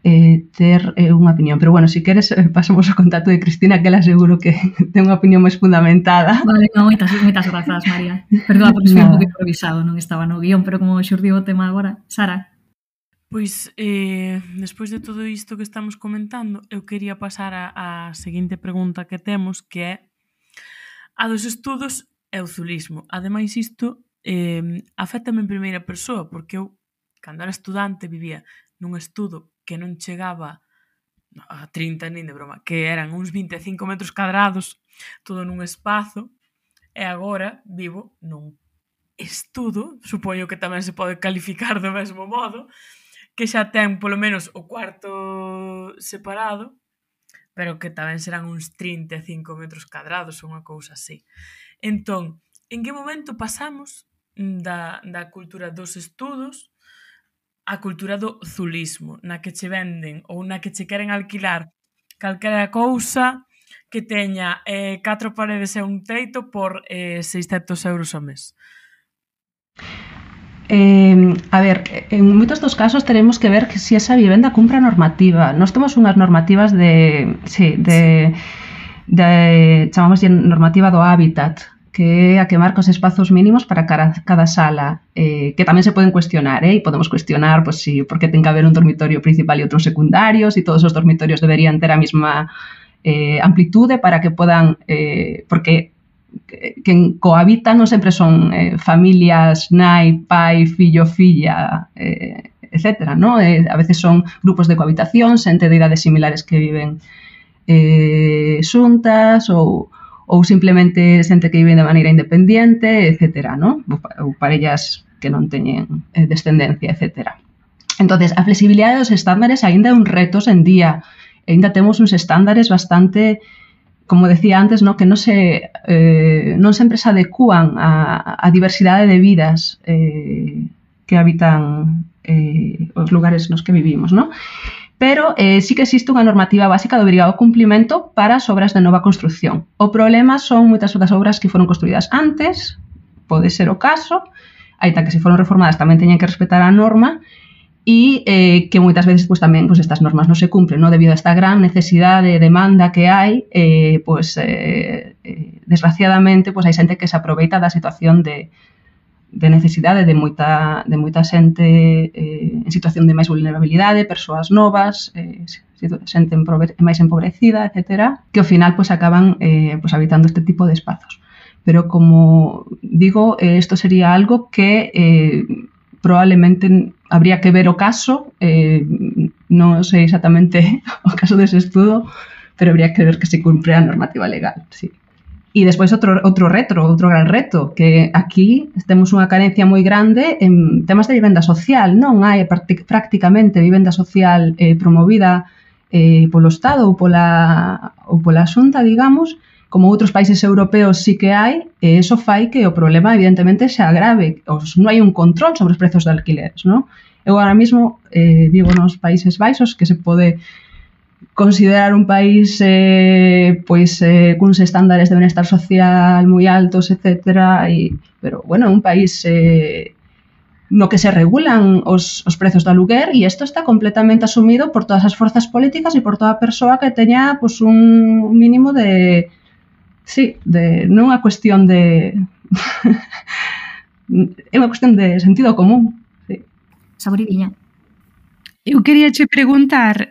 ter unha opinión. Pero bueno, se queres, pasamos ao contacto de Cristina, que ela seguro que ten unha opinión máis fundamentada. Vale, non, moitas grazas, María. Perdoa porque foi un pouco improvisado, non estaba no guión, pero como xurdiu o tema agora, Sara. Pois, despois de todo isto que estamos comentando, eu quería pasar á seguinte pregunta que temos, que é a dos estudos e o zulismo. Ademais, isto afectame en primeira persoa, porque eu, cando era estudante, vivía nun estudo que non chegaba a 30 nin de broma, que eran uns 25 metros cadrados, todo nun espazo, e agora vivo nun estudo, supoño que tamén se pode calificar do mesmo modo, que xa ten polo menos o cuarto separado, pero que tamén serán uns 35 metros cadrados ou unha cousa así. Entón, en que momento pasamos da cultura dos estudos a cultura do zulismo, na que che venden ou na que che queren alquilar calquera cousa que teña 4 paredes e un teito por 600 euros ao mes? A ver, en moitos dos casos teremos que ver que si esa vivenda cumpre a normativa. Nós temos unhas normativas chamamos normativa do hábitat, que é a que marca os espazos mínimos para cada sala, que tamén se poden cuestionar, e podemos cuestionar pues, si por que ten que haber un dormitorio principal e outros secundarios, e todos os dormitorios deberían ter a mesma amplitude para que podan, porque quen cohabita non sempre son familias, nai, pai, fillo, filla, etc. ¿no? A veces son grupos de cohabitación, xente de idades similares que viven xuntas ou simplemente xente que vive de maneira independiente, etc. ¿no? Ou parellas que non teñen descendencia, etc. Entonces, a flexibilidade dos estándares aínda é un reto en día. Aínda temos uns estándares bastante, como decía antes, ¿no? Que non sempre se adecúan a diversidade de vidas que habitan os lugares nos que vivimos, ¿no? Pero sí que existe unha normativa básica de obrigado cumplimento para as obras de nova construcción. O problema son moitas das obras que foron construídas antes, pode ser o caso, aínda que se foron reformadas tamén teñen que respetar a norma, e que moitas veces pues, tamén pues, estas normas non se cumplen, ¿no? Debido a esta gran necesidade e demanda que hai, desgraciadamente pues, hai xente que se aproveita da situación de necesidade de moita xente en situación de máis vulnerabilidade, persoas novas, xente máis empobrecida, etc., que ao final pues, acaban habitando este tipo de espazos. Pero, como digo, isto sería algo que probablemente habría que ver o caso, non sei exactamente o caso dese estudo, pero habría que ver que se cumpre a normativa legal, sí. E despois outro gran reto, que aquí temos unha carencia moi grande en temas de vivenda social, non hai prácticamente vivenda social promovida polo Estado ou pola Xunta, digamos, como outros países europeos sí que hai, e iso fai que o problema evidentemente se agrave, non hai un control sobre os prezos de alquileres, non? Eu ahora mismo vivo nos Países Baixos, que se pode considerar un país cuns estándares de benestar social moi altos, etc. Pero, bueno, un país no que se regulan os prezos do aluguer, e isto está completamente asumido por todas as forzas políticas e por toda persoa que teña pues, un mínimo de... Sí, non é unha cuestión de... é unha cuestión de sentido común. Saboridiña. Eu quería che preguntar,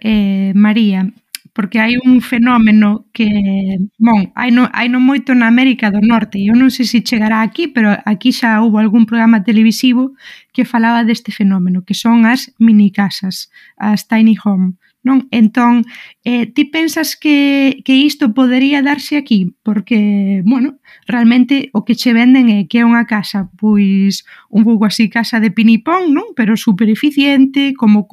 María, porque hai un fenómeno que, hai non moito na América do Norte, e eu non sei se chegará aquí, pero aquí xa houve algún programa televisivo que falaba deste fenómeno, que son as minicasas, as tiny home, non? Entón, ti pensas que isto podería darse aquí? Porque, realmente o que che venden é que é unha casa, pois, un pouco así, casa de pinipón, non? Pero super eficiente, como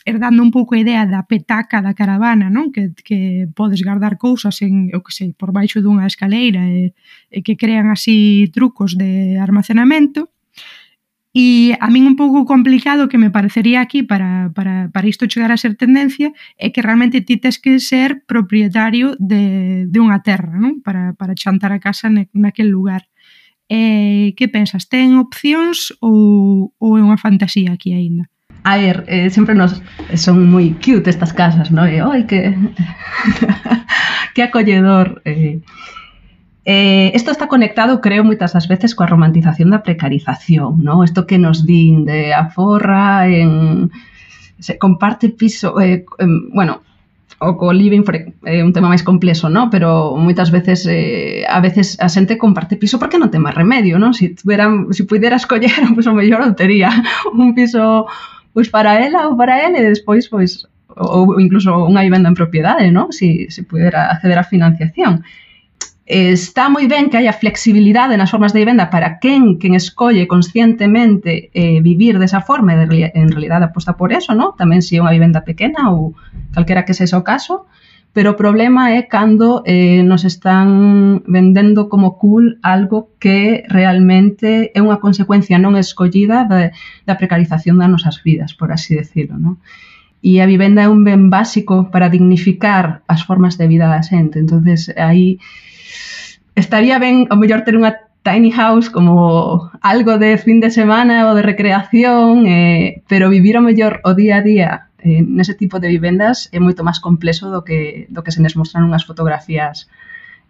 dando un pouco a idea da petaca da caravana, non? Que podes guardar cousas por baixo dunha escaleira e que crean así trucos de armacenamento. E a min un pouco complicado que me parecería aquí para isto chegar a ser tendencia é que realmente ti tes que ser propietario de unha terra, non? Para chantar a casa naquel lugar. Que pensas? Ten opcións ou é unha fantasía aquí aínda? A ver, sempre son moi cute estas casas, non? Ai, que acolledor. Isto está conectado, creo, moitas das veces coa romantización da precarización, non? Isto que nos din de aforra, se comparte piso, o co living é un tema máis complexo, non? Pero moitas veces, a veces a xente comparte piso porque non ten máis remedio, non? Se puidera escoller, pois o mellor eu tería un piso pois para ela ou para ele, e despois, pois, ou incluso unha vivenda en propiedade, non? Se pudera acceder á financiación. Está moi ben que haya flexibilidade nas formas de vivenda para quen escolle conscientemente vivir desa forma e en realidad aposta por eso, ¿no? Tamén se é unha vivenda pequena ou calquera que sexa o caso, pero o problema é cando nos están vendendo como cool algo que realmente é unha consecuencia non escollida da precarización das nosas vidas, por así decirlo, ¿no? E a vivenda é un ben básico para dignificar as formas de vida da xente, entonces aí estaría ben ao mellor ter unha tiny house como algo de fin de semana ou de recreación, pero vivir ao mellor o día a día nese tipo de vivendas é moito máis complexo do que se nos mostran unhas fotografías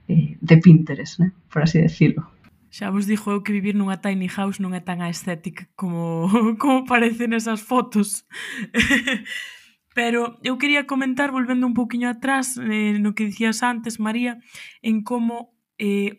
de Pinterest, né? Por así decirlo. Xa vos dixo eu que vivir nunha tiny house non é tan estética como parece nesas fotos. Pero eu quería comentar, volvendo un poquinho atrás, no que dicías antes, María, en como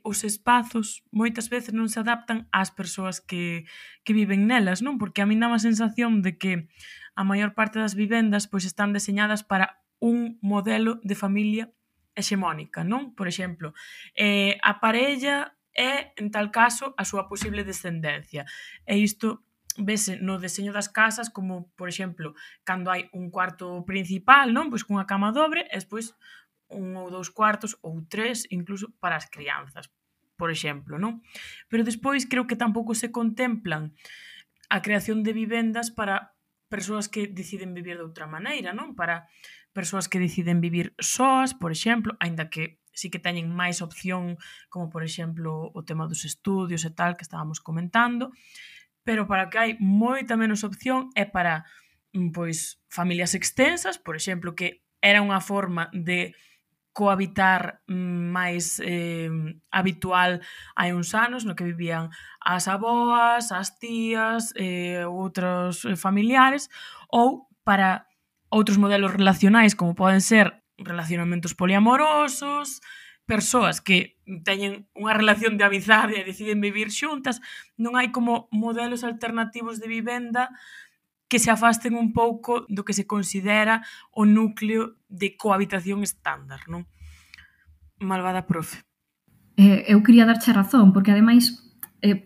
os espazos moitas veces non se adaptan ás persoas que viven nelas, non? Porque a min dá a sensación de que a maior parte das vivendas pois están deseñadas para un modelo de familia hexemónica, non? Por exemplo, a parella é, en tal caso, a súa posible descendencia. E isto vese no deseño das casas como, por exemplo, cando hai un cuarto principal, non? Pois cunha cama dobre e despois un ou dous cuartos ou tres, incluso para as crianzas, por exemplo, non? Pero despois creo que tampouco se contemplan a creación de vivendas para persoas que deciden vivir de outra maneira, non? Para persoas que deciden vivir soas, por exemplo, aínda que sí que teñen máis opción, como por exemplo o tema dos estudios e tal, que estábamos comentando, pero para que hai moita menos opción é para pois familias extensas, por exemplo, que era unha forma de cohabitar máis habitual hai uns anos, no que vivían as aboas, as tías, outros familiares, ou para outros modelos relacionais, como poden ser relacionamentos poliamorosos, persoas que teñen unha relación de amizade e deciden vivir xuntas. Non hai como modelos alternativos de vivenda que se afasten un pouco do que se considera o núcleo de cohabitación estándar, non? Malvada profe. Eu quería darche razón, porque ademais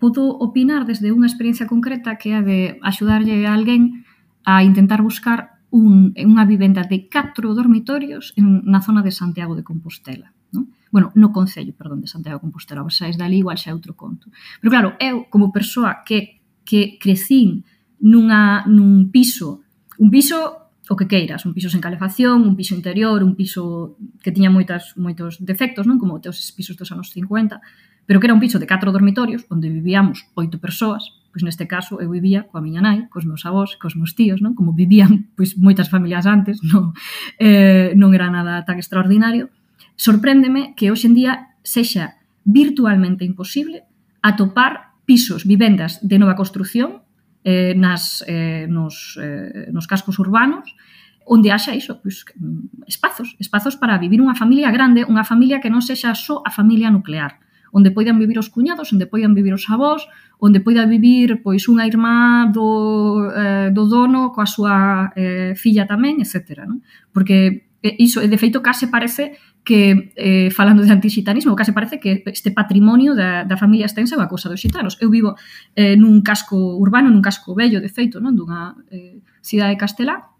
podo opinar desde unha experiencia concreta que é de axudarlle a alguén a intentar buscar unha vivenda de 4 dormitorios na zona de Santiago de Compostela, non? Bueno, no concello, perdón, de Santiago de Compostela, vos saís dali igual xa é outro conto. Pero claro, eu como persoa que crecín nun piso, o que queiras, un piso sen calefacción, un piso interior, un piso que tiña moitos defectos, non? Como os pisos dos anos 50, pero que era un piso de 4 dormitorios onde vivíamos 8 persoas. Pois neste caso eu vivía coa miña nai, cos meus avós, cos meus tíos, non? Como vivían pois moitas familias antes, non era nada tan extraordinario. Sorpréndeme que hoxe en día sexa virtualmente imposible atopar pisos, vivendas de nova construción nos cascos urbanos onde haxa iso, pois, espazos para vivir unha familia grande, unha familia que non sexa só a familia nuclear, onde poidan vivir os cuñados, onde poidan vivir os avós, onde poida vivir pois unha irmá do dono coa súa filla tamén, etc. Non? Porque iso, de feito, case parece que, falando de antixitanismo, case parece que este patrimonio da familia extensa é unha cousa dos xitanos. Eu vivo nun casco urbano, nun casco vello, de feito, non? Dunha cidade castelá,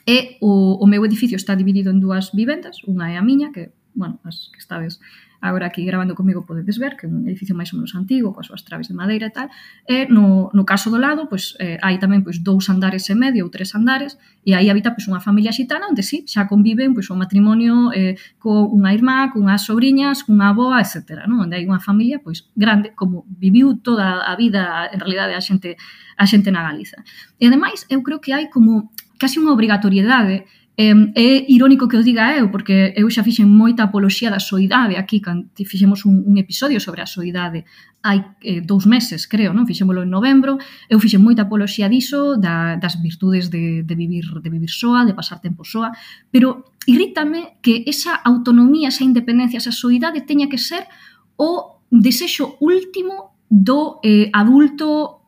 e o meu edificio está dividido en dúas vivendas, unha é a miña, que, bueno, as que estades agora aquí gravando comigo podedes ver que é un edificio máis ou menos antigo, coas súas traves de madeira e tal, e no caso do lado, pois, hai tamén pois 2 andares e medio ou 3 andares, e aí habita pois unha familia xitana onde sí, xa conviven pois o matrimonio con unha irmá, cunhas sobrinhas, cunha avoa, etc. Non? Onde hai unha familia pois grande, como viviu toda a vida, en realidade, a xente na Galiza. E ademais, eu creo que hai como casi unha obrigatoriedade. É irónico que o diga eu, porque eu xa fixen moita apoloxía da soidade aquí, cando fixemos un episodio sobre a soidade hai 2 meses, creo, non? Fixémolo en novembro, eu fixen moita apoloxía diso, das virtudes de vivir soa, de pasar tempo soa, pero irrítame que esa autonomía, esa independencia, esa soidade teña que ser o desexo último do adulto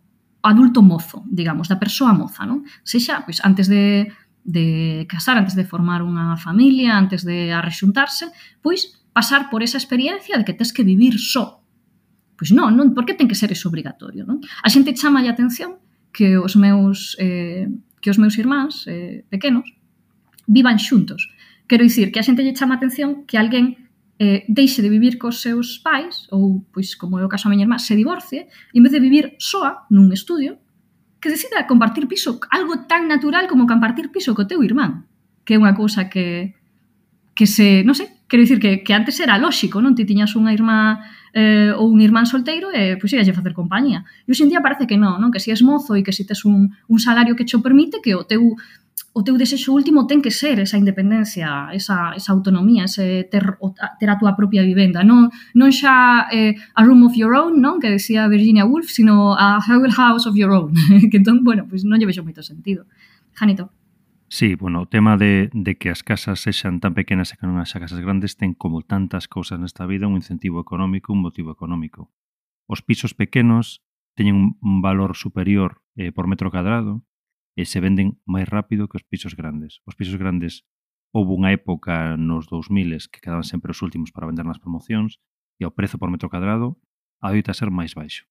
mozo, digamos, da persoa moza, non? Sexa, pois, antes de casar, antes de formar unha familia, antes de arrexuntarse, pois pasar por esa experiencia de que tes que vivir só. Pois non, por que ten que ser eso obrigatorio? Non? A xente chama a atención que os meus irmáns pequenos vivan xuntos. Quero dicir que a xente lle chama a atención que alguén deixe de vivir cos seus pais, ou, pois, como é o caso a miña irmá, se divorcie, e en vez de vivir soa nun estudio, que decida compartir piso, algo tan natural como compartir piso co teu irmán, que é unha cousa que se, non sei, quero dicir que antes era lóxico, non? Ti tiñas unha irmá ou un irmán solteiro e pois íalle facer compañía. E hoxe en día parece que non, que se és mozo e que se tes un salario que cho permite, que o teu desexo último ten que ser esa independencia, esa autonomía, ese ter a túa propia vivenda. Non xa a room of your own, non? Que decía Virginia Woolf, sino a whole house of your own. Que entón, bueno, pois non lle vexo moito sentido. Janito. Sí, bueno, o tema de que as casas sexan tan pequenas e que non haxa casas grandes ten como tantas cousas nesta vida un incentivo económico, un motivo económico. Os pisos pequenos teñen un valor superior por metro cadrado e se venden máis rápido que os pisos grandes. Os pisos grandes houve unha época nos 2000 que quedaban sempre os últimos para vender nas promocións e o prezo por metro cadrado adoita ser máis baixo.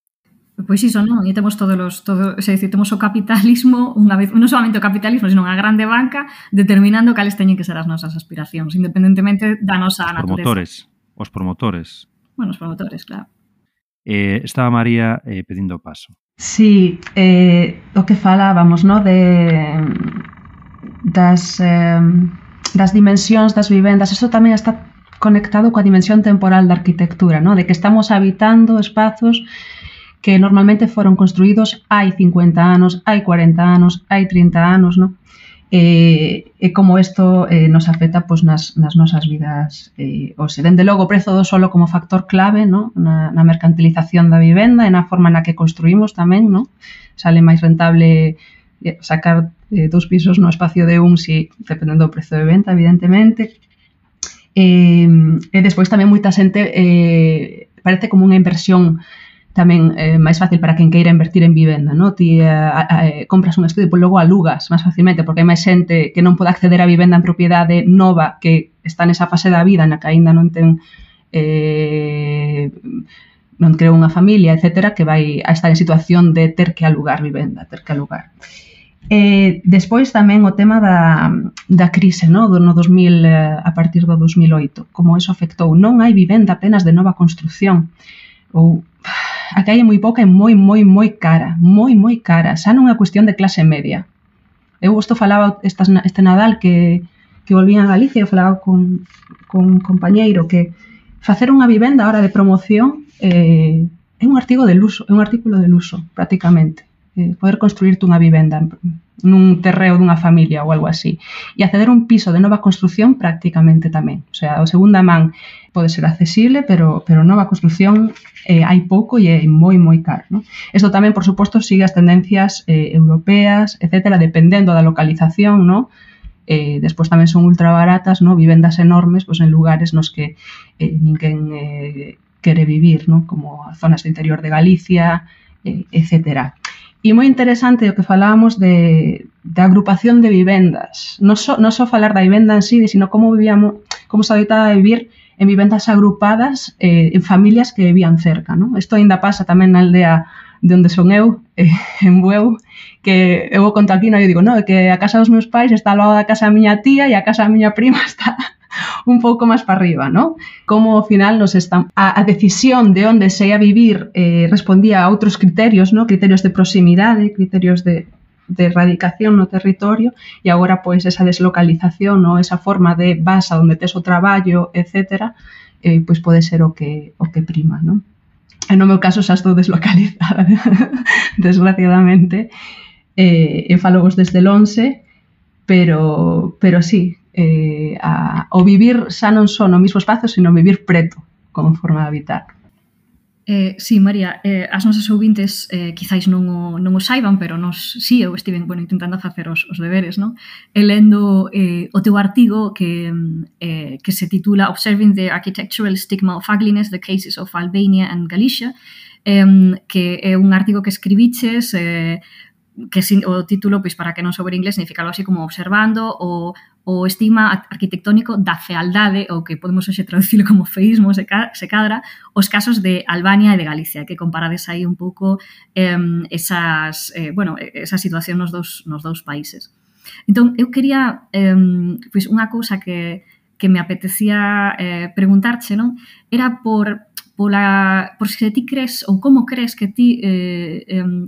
Pois iso, non? E temos temos o capitalismo, unha vez, non solamente o capitalismo, sino unha grande banca determinando cales teñen que ser as nosas aspiracións, independentemente da nosa natureza. Os promotores. Bueno, os promotores, claro. Estaba María pedindo paso. Sí, o que falábamos, no? Das dimensións das vivendas, eso tamén está conectado coa dimensión temporal da arquitectura, no? De que estamos habitando espazos que normalmente foron construídos hai 50 anos, hai 40 anos, hai 30 anos, no? E como isto nos afecta pues, nas nosas vidas. Dende logo o prezo do solo como factor clave, no? na mercantilización da vivenda e na forma na que construímos tamén, no? Sale máis rentable sacar 2 pisos no espacio de un, si, dependendo do prezo de venta, evidentemente. E despois tamén moita xente parece como unha inversión tamén máis fácil para quen queira invertir en vivenda, no? Ti compras un estudio e depois logo alugas máis facilmente, porque hai máis xente que non pode acceder a vivenda en propiedade nova que está nesa fase da vida na que aínda non ten non creou unha familia, etc., que vai a estar en situación de ter que alugar vivenda, Despois tamén o tema da crise, no 2000, a partir do 2008, como eso afectou. Non hai vivenda apenas de nova construción, ou a que hai moi pouca e moi cara, moi cara, xa non é cuestión de clase media. Eu isto falaba este Nadal que volvín a Galicia, eu falaba con un compañeiro que facer unha vivenda ahora de promoción é un artigo de luxo, é un artículo de luxo, prácticamente. Poder construirte unha vivenda nun terreo dunha familia ou algo así. E acceder a un piso de nova construción prácticamente tamén. O sea, o segunda man pode ser accesible, pero nova construción hai pouco e é moi caro, ¿no? Isto tamén, por suposto, sigue as tendencias europeas, etcétera, dependendo da localización, ¿no? despois tamén son ultra baratas, no? Vivendas enormes pois en lugares nos que ninguén quere vivir, no? Como zonas do interior de Galicia, etc. E moi interesante o que falábamos de agrupación de vivendas, non só falar da vivenda en sí, sino como se adoitaba a vivir en vivendas agrupadas en familias que vivían cerca, no? Isto ainda pasa tamén na aldea de onde son eu, en Bueu, que eu conto aquí, no? Eu digo, no, que a casa dos meus pais está ao lado da casa da miña tía e a casa da miña prima está un pouco máis para arriba, ¿no? Como ao final a decisión de onde se ia vivir respondía a outros criterios, ¿no? Criterios de proximidade, criterios de erradicación no territorio, e agora pois esa deslocalización, ¿no? Esa forma de vas a onde tes o traballo, etc., pois pode ser o que prima, ¿no? En no meu caso xa estou deslocalizada, desgraciadamente, e falo vos desde Lonxe, pero sí, o vivir xa non só no mesmo espazo, sino vivir preto como forma de habitar. Sí, María, as nosas ouvintes quizáis non o saiban, pero sí, eu estive intentando facer os deberes, non? E lendo o teu artigo que se titula Observing the Architectural Stigma of Ugliness, The Cases of Albania and Galicia, que é un artigo que escribiches que o título, pois para que non souber inglés, significa algo así como observando o estigma arquitectónico da fealdade, ou que podemos hoxe traducilo como feísmo, se cadra, os casos de Albania e de Galicia, que comparades aí un pouco esa situación nos dous países. Entón, eu quería, pois unha cousa que me apetecía preguntarche, non? Era por se ti crees, ou como crees que ti,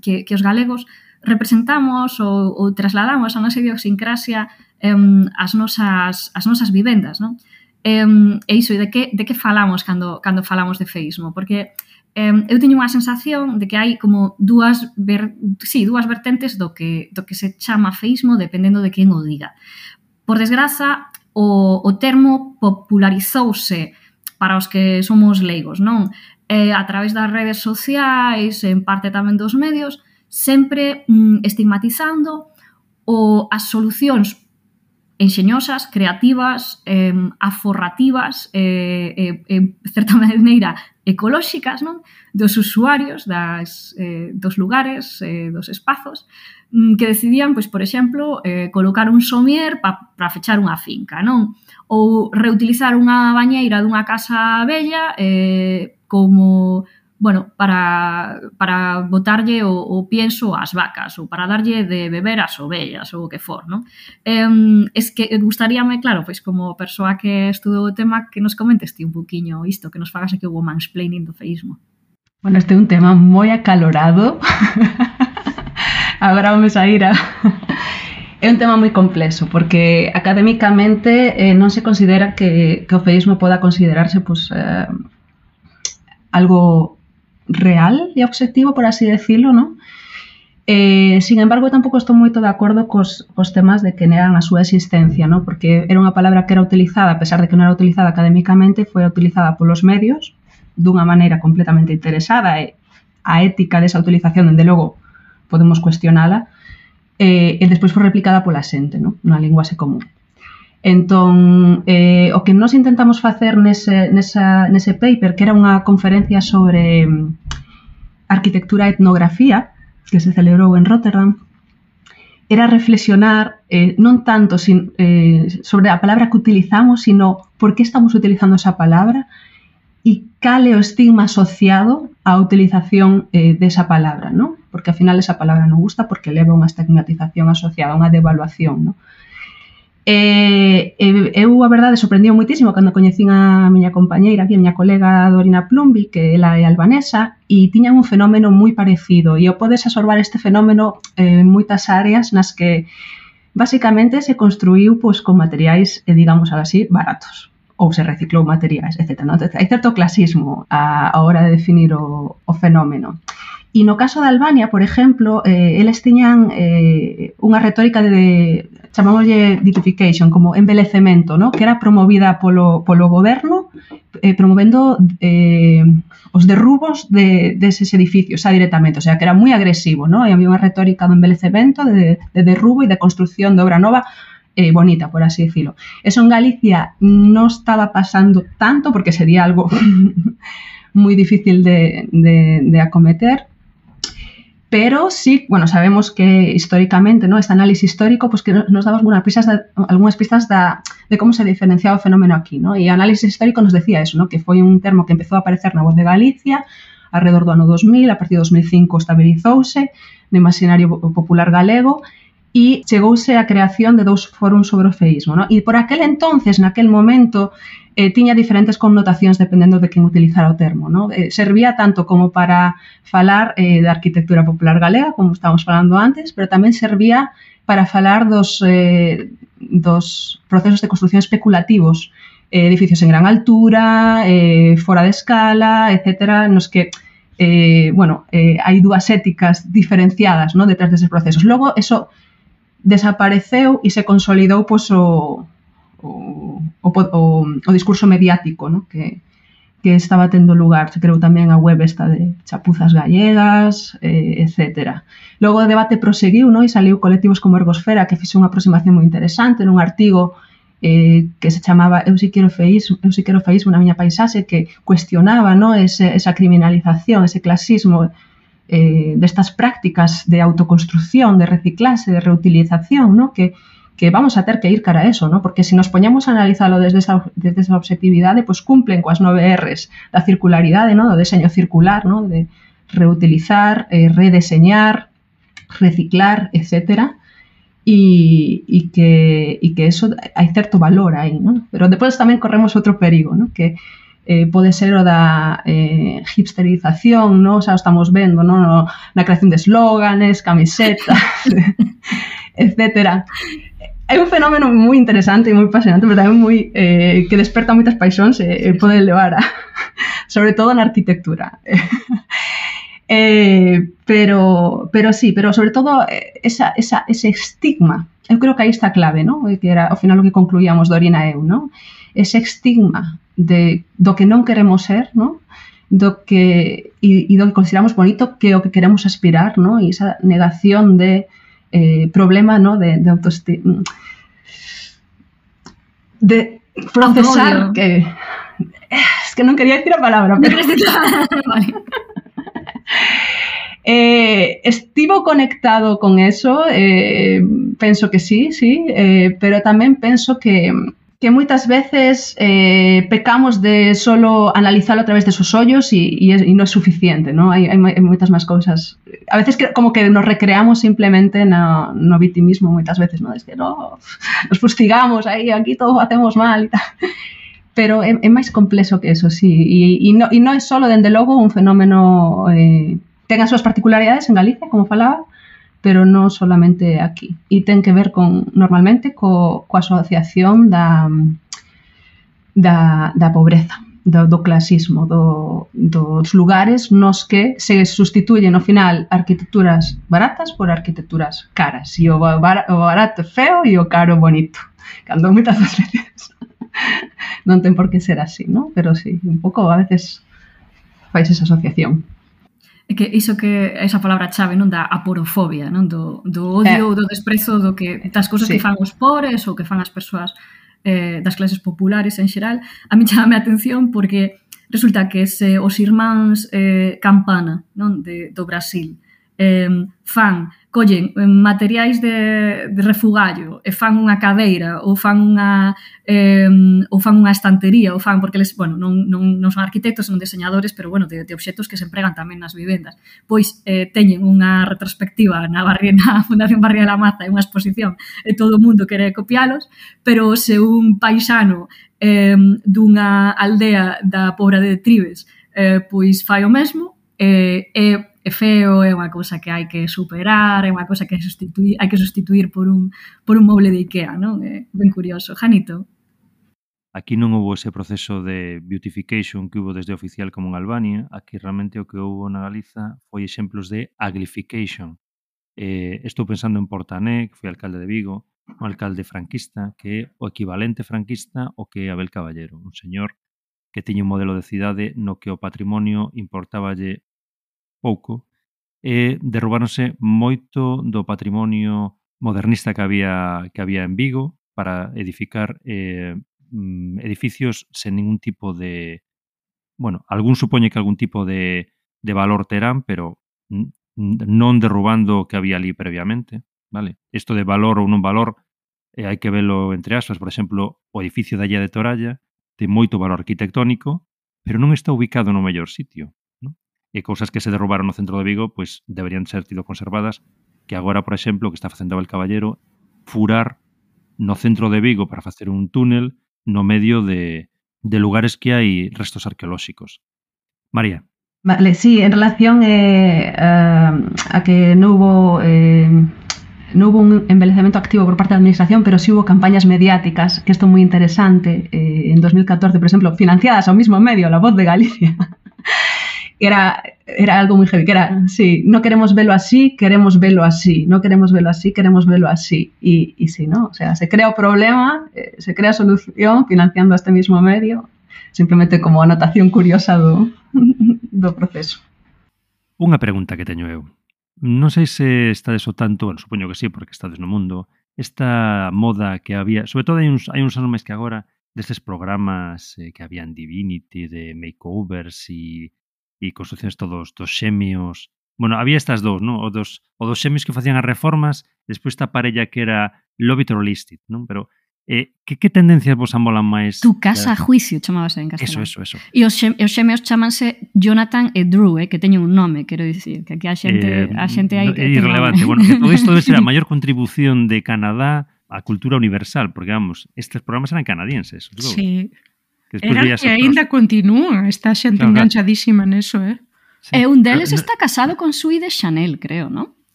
que os galegos representamos ou trasladamos a nosa idiosincrasia as nosas vivendas, non? E iso, de que falamos cando falamos de feísmo? Porque eu teño unha sensación de que hai como dúas vertentes do que se chama feísmo dependendo de quen o diga. Por desgraza, o termo popularizouse para os que somos leigos, non? A través das redes sociais, en parte tamén dos medios, sempre estigmatizando as solucións enxeñosas, creativas, aforrativas, certa maneira ecolóxicas, non? Dos usuarios dos lugares, dos espazos, que decidían, pois, por exemplo, colocar un somier para fechar unha finca, non? Ou reutilizar unha bañeira dunha casa vella como, bueno, para botarlle o pienso ás vacas ou para darlle de beber ás ovellas ou o que for, non? Es que gustaríame, claro, pois como persoa que estudou o tema, que nos comentes ti un poquinho isto, que nos fagas aquí o mansplaining do feísmo. Bueno, este é un tema moi acalorado. Agora vamos a ir a... É un tema moi complexo, porque académicamente non se considera que o feísmo poda considerarse pues, algo real e obxectivo, por así decirlo, ¿no? Sin embargo, tampouco estou moito de acordo cos temas de que negan a súa existencia, ¿no? Porque era unha palabra que era utilizada, a pesar de que non era utilizada académicamente, foi utilizada polos medios dunha maneira completamente interesada, e a ética desa utilización, dende logo, podemos cuestionala, e despois foi replicada pola xente, ¿no? Unha linguaxe común. Entón, o que nós intentamos facer nese paper, que era unha conferencia sobre arquitectura e etnografía, que se celebrou en Rotterdam, era reflexionar non tanto sobre a palabra que utilizamos, sino por que estamos utilizando esa palabra e cal é o estigma asociado á utilización desa palabra, ¿no? Porque ao final esa palabra non gusta porque leva unha estigmatización asociada, unha devaluación, ¿no? Eu, a verdade, sorprendiu moitísimo cando coñecín a miña compañeira, a miña colega Dorina Plumby, que ela é albanesa, e tiñan un fenómeno moi parecido, e o podes absorbar este fenómeno en moitas áreas nas que basicamente se construíu pois, con materiais, digamos así, baratos, ou se reciclou materiais, etc. ¿No? Hai certo clasismo a hora de definir o fenómeno. E no caso de Albania, por exemplo, eles tiñan unha retórica de chamámoslle ditification, como embelecemento, ¿no? Que era promovida polo goberno, promovendo os derrubos deses edificios xa directamente, o sea, que era moi agresivo, ¿no? E había unha retórica do embelecemento, de derrubo e de construcción de obra nova bonita, por así decirlo. Eso en Galicia no estaba pasando tanto porque sería algo muy difícil de acometer, pero sí, bueno, sabemos que históricamente, ¿no? Este análisis histórico, pues que nos daba algunas pistas de cómo se diferenciaba o fenómeno aquí, ¿no? E o análisis histórico nos decía eso, ¿no? Que foi un termo que empezou a aparecer na Voz de Galicia alrededor do ano 2000, a partir de 2005 estabilizouse no imaginario popular galego e chegouse a creación de 2 fóruns sobre o feísmo, ¿no? E por aquel entonces, naquel momento, tiña diferentes connotacións dependendo de quen utilizara o termo, ¿no? Servía tanto como para falar da arquitectura popular galega, como estábamos falando antes, pero tamén servía para falar dos procesos de construcción especulativos, edificios en gran altura, fora de escala, etc., nos que hai dúas éticas diferenciadas, ¿no? Detrás deses procesos. Logo, eso desapareceu e se consolidou pois, o discurso mediático, ¿no? que estaba tendo lugar. Se creou tamén a web esta de chapuzas gallegas, etc. Logo o debate proseguiu, ¿no? E saliu colectivos como Ergosfera que fixe unha aproximación moi interesante nun artigo que se chamaba Eu si quero feísmo na miña paisaxe, que cuestionaba, ¿no? esa criminalización, ese clasismo destas prácticas de autoconstrucción, de reciclaxe, de reutilización, ¿no? Que vamos a ter que ir cara a eso, ¿no? Porque se nos poñamos a analizalo desde esa objetividade, pues cumplen coas 9 Rs da circularidade, ¿no? Do deseño circular, ¿no? De reutilizar, redeseñar, reciclar, etc. E que eso hai certo valor aí, ¿no? Pero depois tamén corremos outro perigo, ¿no? Que pode ser o da hipsterización, ¿no? Xa o estamos vendo, ¿no? Na creación de eslóganes, camisetas, etc. Hai un fenómeno moi interesante e moi apasionante, pero tamén moi que desperta moitas paixóns e pode levar a sobre todo na arquitectura. Pero sobre todo ese estigma, eu creo que aí está a clave, ¿no? Que era ao final o que concluíamos Dorina e eu, ¿no? Ese estigma do que non queremos ser, ¿no? Do que consideramos bonito, que o que queremos aspirar, ¿no? E esa negación de problema, ¿no? De autoestima, de procesar que es que non quería decir a palabra, pero Vale. Estivo conectado con eso, penso que sí, pero tamén penso que moitas veces pecamos de solo analizarlo a través de esos ollos e non é suficiente, ¿no? Hai moitas máis cousas. A veces como que nos recreamos simplemente no vitimismo moitas veces, ¿no? Es que nos fustigamos aí, aquí todo hacemos mal e tal. Pero é máis complexo que eso, sí. E non é solo, dende logo, un fenómeno ten as súas particularidades en Galicia, como falaba, pero non solamente aquí. E ten que ver normalmente coa asociación da pobreza, do clasismo, dos lugares nos que se sustituyen ao final arquitecturas baratas por arquitecturas caras. E o barato é feo e o caro bonito. Cando moitas veces non ten por que ser así, ¿no? Pero sí, un pouco a veces fais esa asociación. É que iso que esa palabra chave, non, da aporofobia, non, do odio, do desprezo das cousas que fan os pobres ou que fan as persoas das clases populares en xeral. A mí chamame a atención porque resulta que se os irmáns Campana, non, do Brasil, collen materiais de refugallo e fan unha cadeira ou fan unha estantería ou fan, porque eles, bueno, non son arquitectos, son diseñadores, pero bueno, de obxectos que se empregan tamén nas vivendas. Pois teñen unha retrospectiva na Fundación Barría de la Maza, unha exposición, e todo o mundo quere copialos, pero se un paisano dunha aldea da Pobra de Tribes pois fai o mesmo, é feo, é unha cousa que hai que superar, é unha cousa que hai que sustituir por un moble de Ikea, non? É ben curioso. Janito? Aquí non houve ese proceso de beautification que houve desde oficial como en Albania. Aquí realmente o que houve na Galiza foi exemplos de aglification. Estou pensando en Portané, que foi alcalde de Vigo, un alcalde franquista, que é o equivalente franquista ao que é Abel Caballero, un señor que tiña un modelo de cidade no que o patrimonio importáballe pouco, e derrubáronse moito do patrimonio modernista que había en Vigo, para edificar edificios sen ningún tipo de... Bueno, algún supoñe que algún tipo de valor terán, pero non derrubando o que había ali previamente, vale? Isto de valor ou non valor hai que velo entre aspas. Por exemplo, o edificio da Illa de Toralla ten moito valor arquitectónico, pero non está ubicado no mellor sitio, non? E cousas que se derrubaron no centro de Vigo, pois deberían ser tido conservadas, que agora, por exemplo, o que está facendo Abel Caballero, furar no centro de Vigo para facer un túnel no medio de lugares que hai restos arqueolóxicos. María. Vale, sí, en relación a que no hubo un embellecimiento activo por parte de la administración, pero sí hubo campañas mediáticas, que esto es muy interesante, en 2014, por ejemplo, financiadas al mismo medio, La Voz de Galicia. Era algo muy heavy, que era, sí, no queremos verlo así, queremos verlo así, no queremos verlo así, queremos verlo así. Y sí, ¿no? O sea, se crea un problema, se crea solución financiando este mismo medio, simplemente como anotación curiosa do proceso. Unha pregunta que teño eu. Non sei se estades o tanto, bueno, supoño que sí, porque estades no mundo, esta moda que había, sobre todo hai uns anos máis que agora, destes programas que había en Divinity, de makeovers e construccións todos dos xemios. Bueno, había estas dous, non? O dos xemios que facían as reformas, despois esta parella que era Love It or List It, non? Pero que tendencias vos amolan máis? Tu casa a juicio chamábase en castelán. Eso. E os xemeos chamanse Jonathan e Drew, que teñen un nome, quero dicir, que aquí a xente hai que é irrelevante. Bueno, que todo isto debe ser a maior contribución de Canadá á cultura universal, porque, vamos, estes programas eran canadienses. Sí. Eran que aínda continúa, está xente enganchadísima neso, Sí. E un deles está casado con Sui de Chanel, creo, non?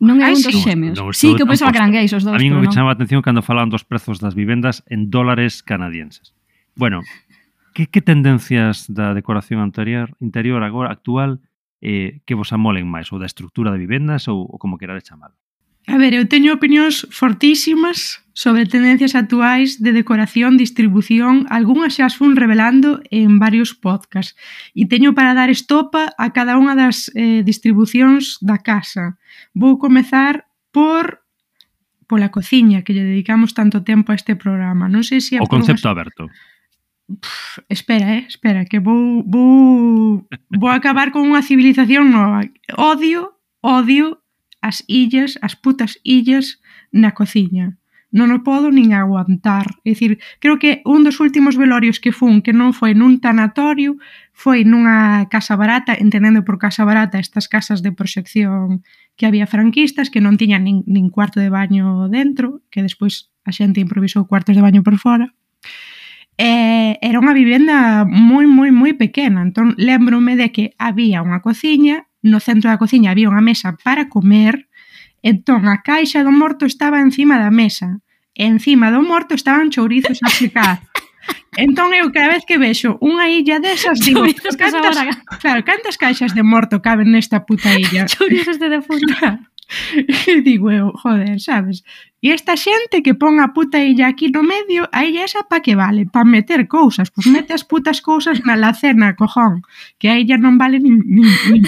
Non é un dos xemeos. Sí, que eu pensaba que eran gays os dous. A mí me chamaba a atención cando falaban dos prezos das vivendas en dólares canadienses. Bueno, que tendencias da decoración interior agora actual que vos amolen máis? Ou da estrutura de vivendas ou como querades chamalo? A ver, eu teño opinións fortísimas sobre tendencias actuais de decoración, distribución, algunhas xa as fun revelando en varios podcasts e teño para dar estopa a cada unha das distribucións da casa. Vou comezar pola cociña, que lle dedicamos tanto tempo a este programa. Non sei se o concepto aberto. Espera, que vou acabar con unha civilización nova. Odio as illas, as putas illas na cociña. Non o podo nin aguantar. É dicir, creo que un dos últimos velorios que fun, que non foi nun tanatorio, foi nunha casa barata, entendendo por casa barata estas casas de proxección que había franquistas, que non tiñan nin cuarto de baño dentro, que despois a xente improvisou cuartos de baño por fora. Era unha vivenda moi pequena, entón lembrome de que había unha cociña, no centro da cociña había unha mesa para comer, entón a caixa do morto estaba encima da mesa, e encima do morto estaban chourizos a secar. Entón eu cada vez que vexo unha illa desas digo, cantas caixas de morto caben nesta puta illa? Chourizos de defunto. E digo eu, joder, sabes? E esta xente que pon a puta illa aquí no medio, a illa esa pa que vale? Pa meter cousas, pois mete as putas cousas na alacena, cojón, que a illa non vale nin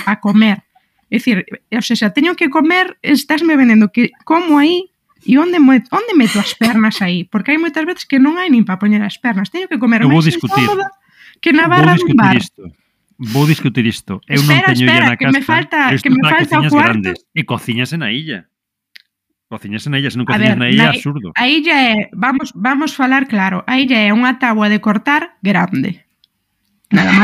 pa comer. É dicir, o sea, teño que comer, estásme vendendo que como aí e onde meto as pernas aí? Porque hai moitas veces que non hai nin pa poñer as pernas, teño que comer máis incómoda que na barra dun bar. Vou discutir isto. Eu non teño illa na casa. Que me falta o cuarto. E cociñase na illa. Se non cociñas na illa é absurdo. A illa é, vamos falar claro, a illa é unha táboa de cortar grande. Nada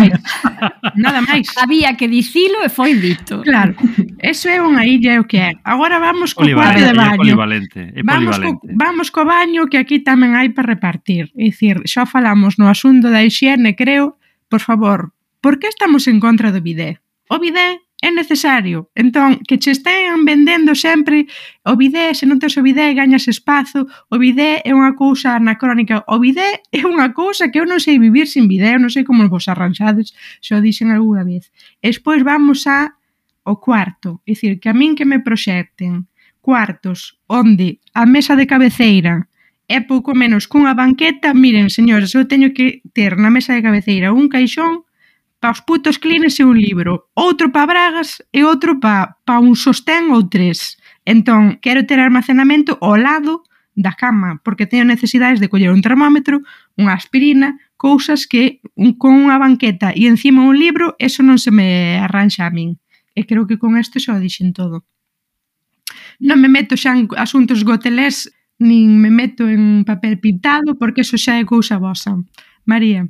máis. Había que dicilo e foi dito. Claro, eso é unha illa o que é. Agora vamos co cuarto de baño. É polivalente. Vamos co baño, que aquí tamén hai para repartir. É dicir, xa falamos no asunto da hixiene, creo, por favor, por que estamos en contra do bidé? O bidé é necesario. Entón, que che estén vendendo sempre o bidé, se non tes o bidé gañas espazo, o bidé é unha cousa anacrónica, o bidé é unha cousa que eu non sei vivir sin bidé, eu non sei como vos arranxades, se o dixen algunha vez. E despois vamos ao cuarto, é dicir, que a min que me proxecten cuartos onde a mesa de cabeceira é pouco menos cunha banqueta, miren, señores, eu teño que ter na mesa de cabeceira un caixón pa os putos clines e un libro, outro pa bragas e outro pa un sostén ou tres. Entón, quero ter almacenamento ao lado da cama, porque teño necesidades de coller un termómetro, unha aspirina, cousas que con unha banqueta e encima un libro, eso non se me arranxa a min. E creo que con isto xa o dixen todo. Non me meto xa en asuntos gotelés, nin me meto en papel pintado, porque eso xa é cousa vosa. María.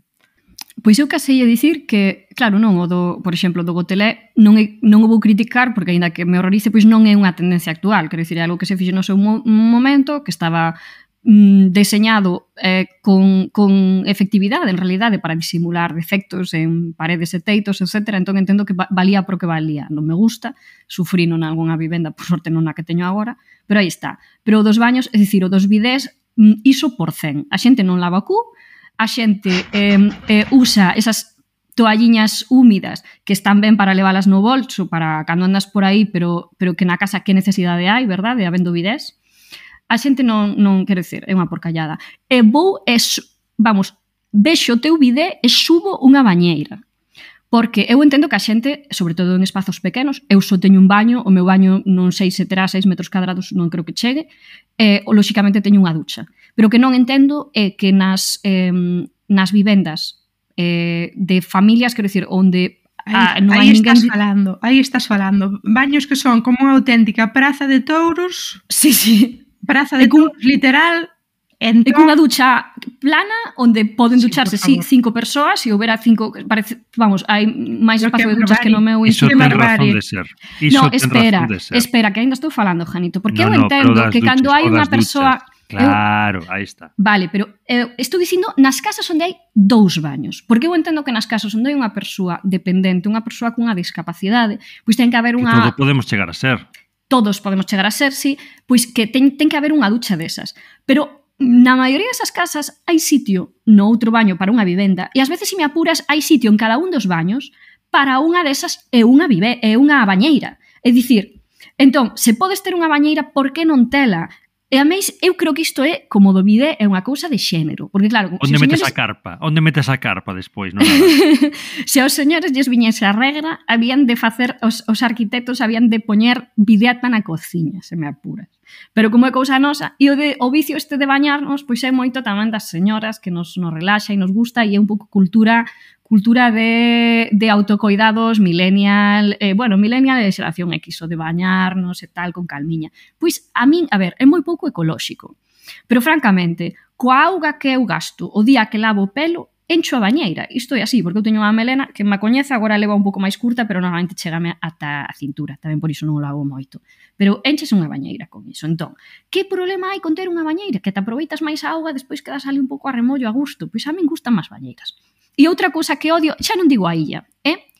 Pois eu casei a dicir que, claro, non, o do, por exemplo, do gotelé non o vou criticar porque, aínda que me horrorice, pois non é unha tendencia actual, quero dicir, é algo que se fixo no seu momento, que estaba deseñado con efectividade, en realidade, para disimular defectos en paredes e teitos, etc. Entón entendo que valía por que valía. Non me gusta, sufrino nalgúna vivenda, por sorte non a que teño agora, pero aí está. Pero o dos baños, é dicir, o dos bidés, iso por 100. A xente non lava cu, a xente usa esas toalliñas húmidas que están ben para leválas no bolso, para cando andas por aí, pero que na casa que necesidade hai, verdade, habendo bidés. A xente non quero dizer, é unha porcallada. E vexo o teu bidé e subo unha bañeira. Porque eu entendo que a xente, sobre todo en espazos pequenos, eu só teño un baño, o meu baño non sei se terá 6 metros cadrados, non creo que chegue, e lóxicamente teño unha ducha. Pero que non entendo é que nas vivendas de familias, quero dicir, onde non hai ninguén... Aí estás falando. Baños que son como unha auténtica praza de touros. Sí. Praza de touros, literal. Entón... E cunha ducha plana onde poden ducharse 5 persoas e houbera 5, parece, vamos, hai máis espacio de duchas que no meu instituto. Iso ten razón de ser. No, espera, que ainda estou falando, Janito, porque eu entendo que cando hai unha persoa... Claro, aí está. Vale, pero estou dicindo nas casas onde hai 2 baños, porque eu entendo que nas casas onde hai unha persoa dependente, unha persoa cunha discapacidade, pois ten que haber unha... Que todo podemos chegar a ser. Todos podemos chegar a ser, sí, pois que ten que haber unha ducha desas. Pero na maioría desas casas hai sitio no outro baño para unha vivenda e ás veces, se me apuras, hai sitio en cada un dos baños para unha desas e unha bañeira. É dicir, entón, se podes ter unha bañeira, por que non tela? E a máis, eu creo que isto é, como do bidé, é unha cousa de xénero. Porque claro... Onde metes a carpa? Onde metes a carpa despois? Non? Se aos señores lles viñese a regra, habían de facer, os arquitectos habían de poñer bideata na cociña, se me apuras. Pero como é cousa nosa, e o vicio este de bañarnos, pois é moito tamén das señoras que nos relaxa e nos gusta, e é un pouco cultura de autocoidados millennial, millennial é xeración X, o de bañarnos e tal, con calmiña. Pois a min, a ver, é moi pouco ecolóxico. Pero francamente, coa auga que eu gasto o día que lavo o pelo, encho a bañeira. Isto é así, porque eu teño unha melena que me coñece, agora leva un pouco máis curta, pero normalmente chegame ata a cintura, tamén por iso non o lavo moito. Pero enches unha bañeira con iso. Entón, que problema hai con ter unha bañeira? Que te aproveitas máis a auga, despois quedas ali un pouco a remollo a gusto. Pois a min gustan máis bañeiras. E outra cousa que odio, xa non digo a illa, é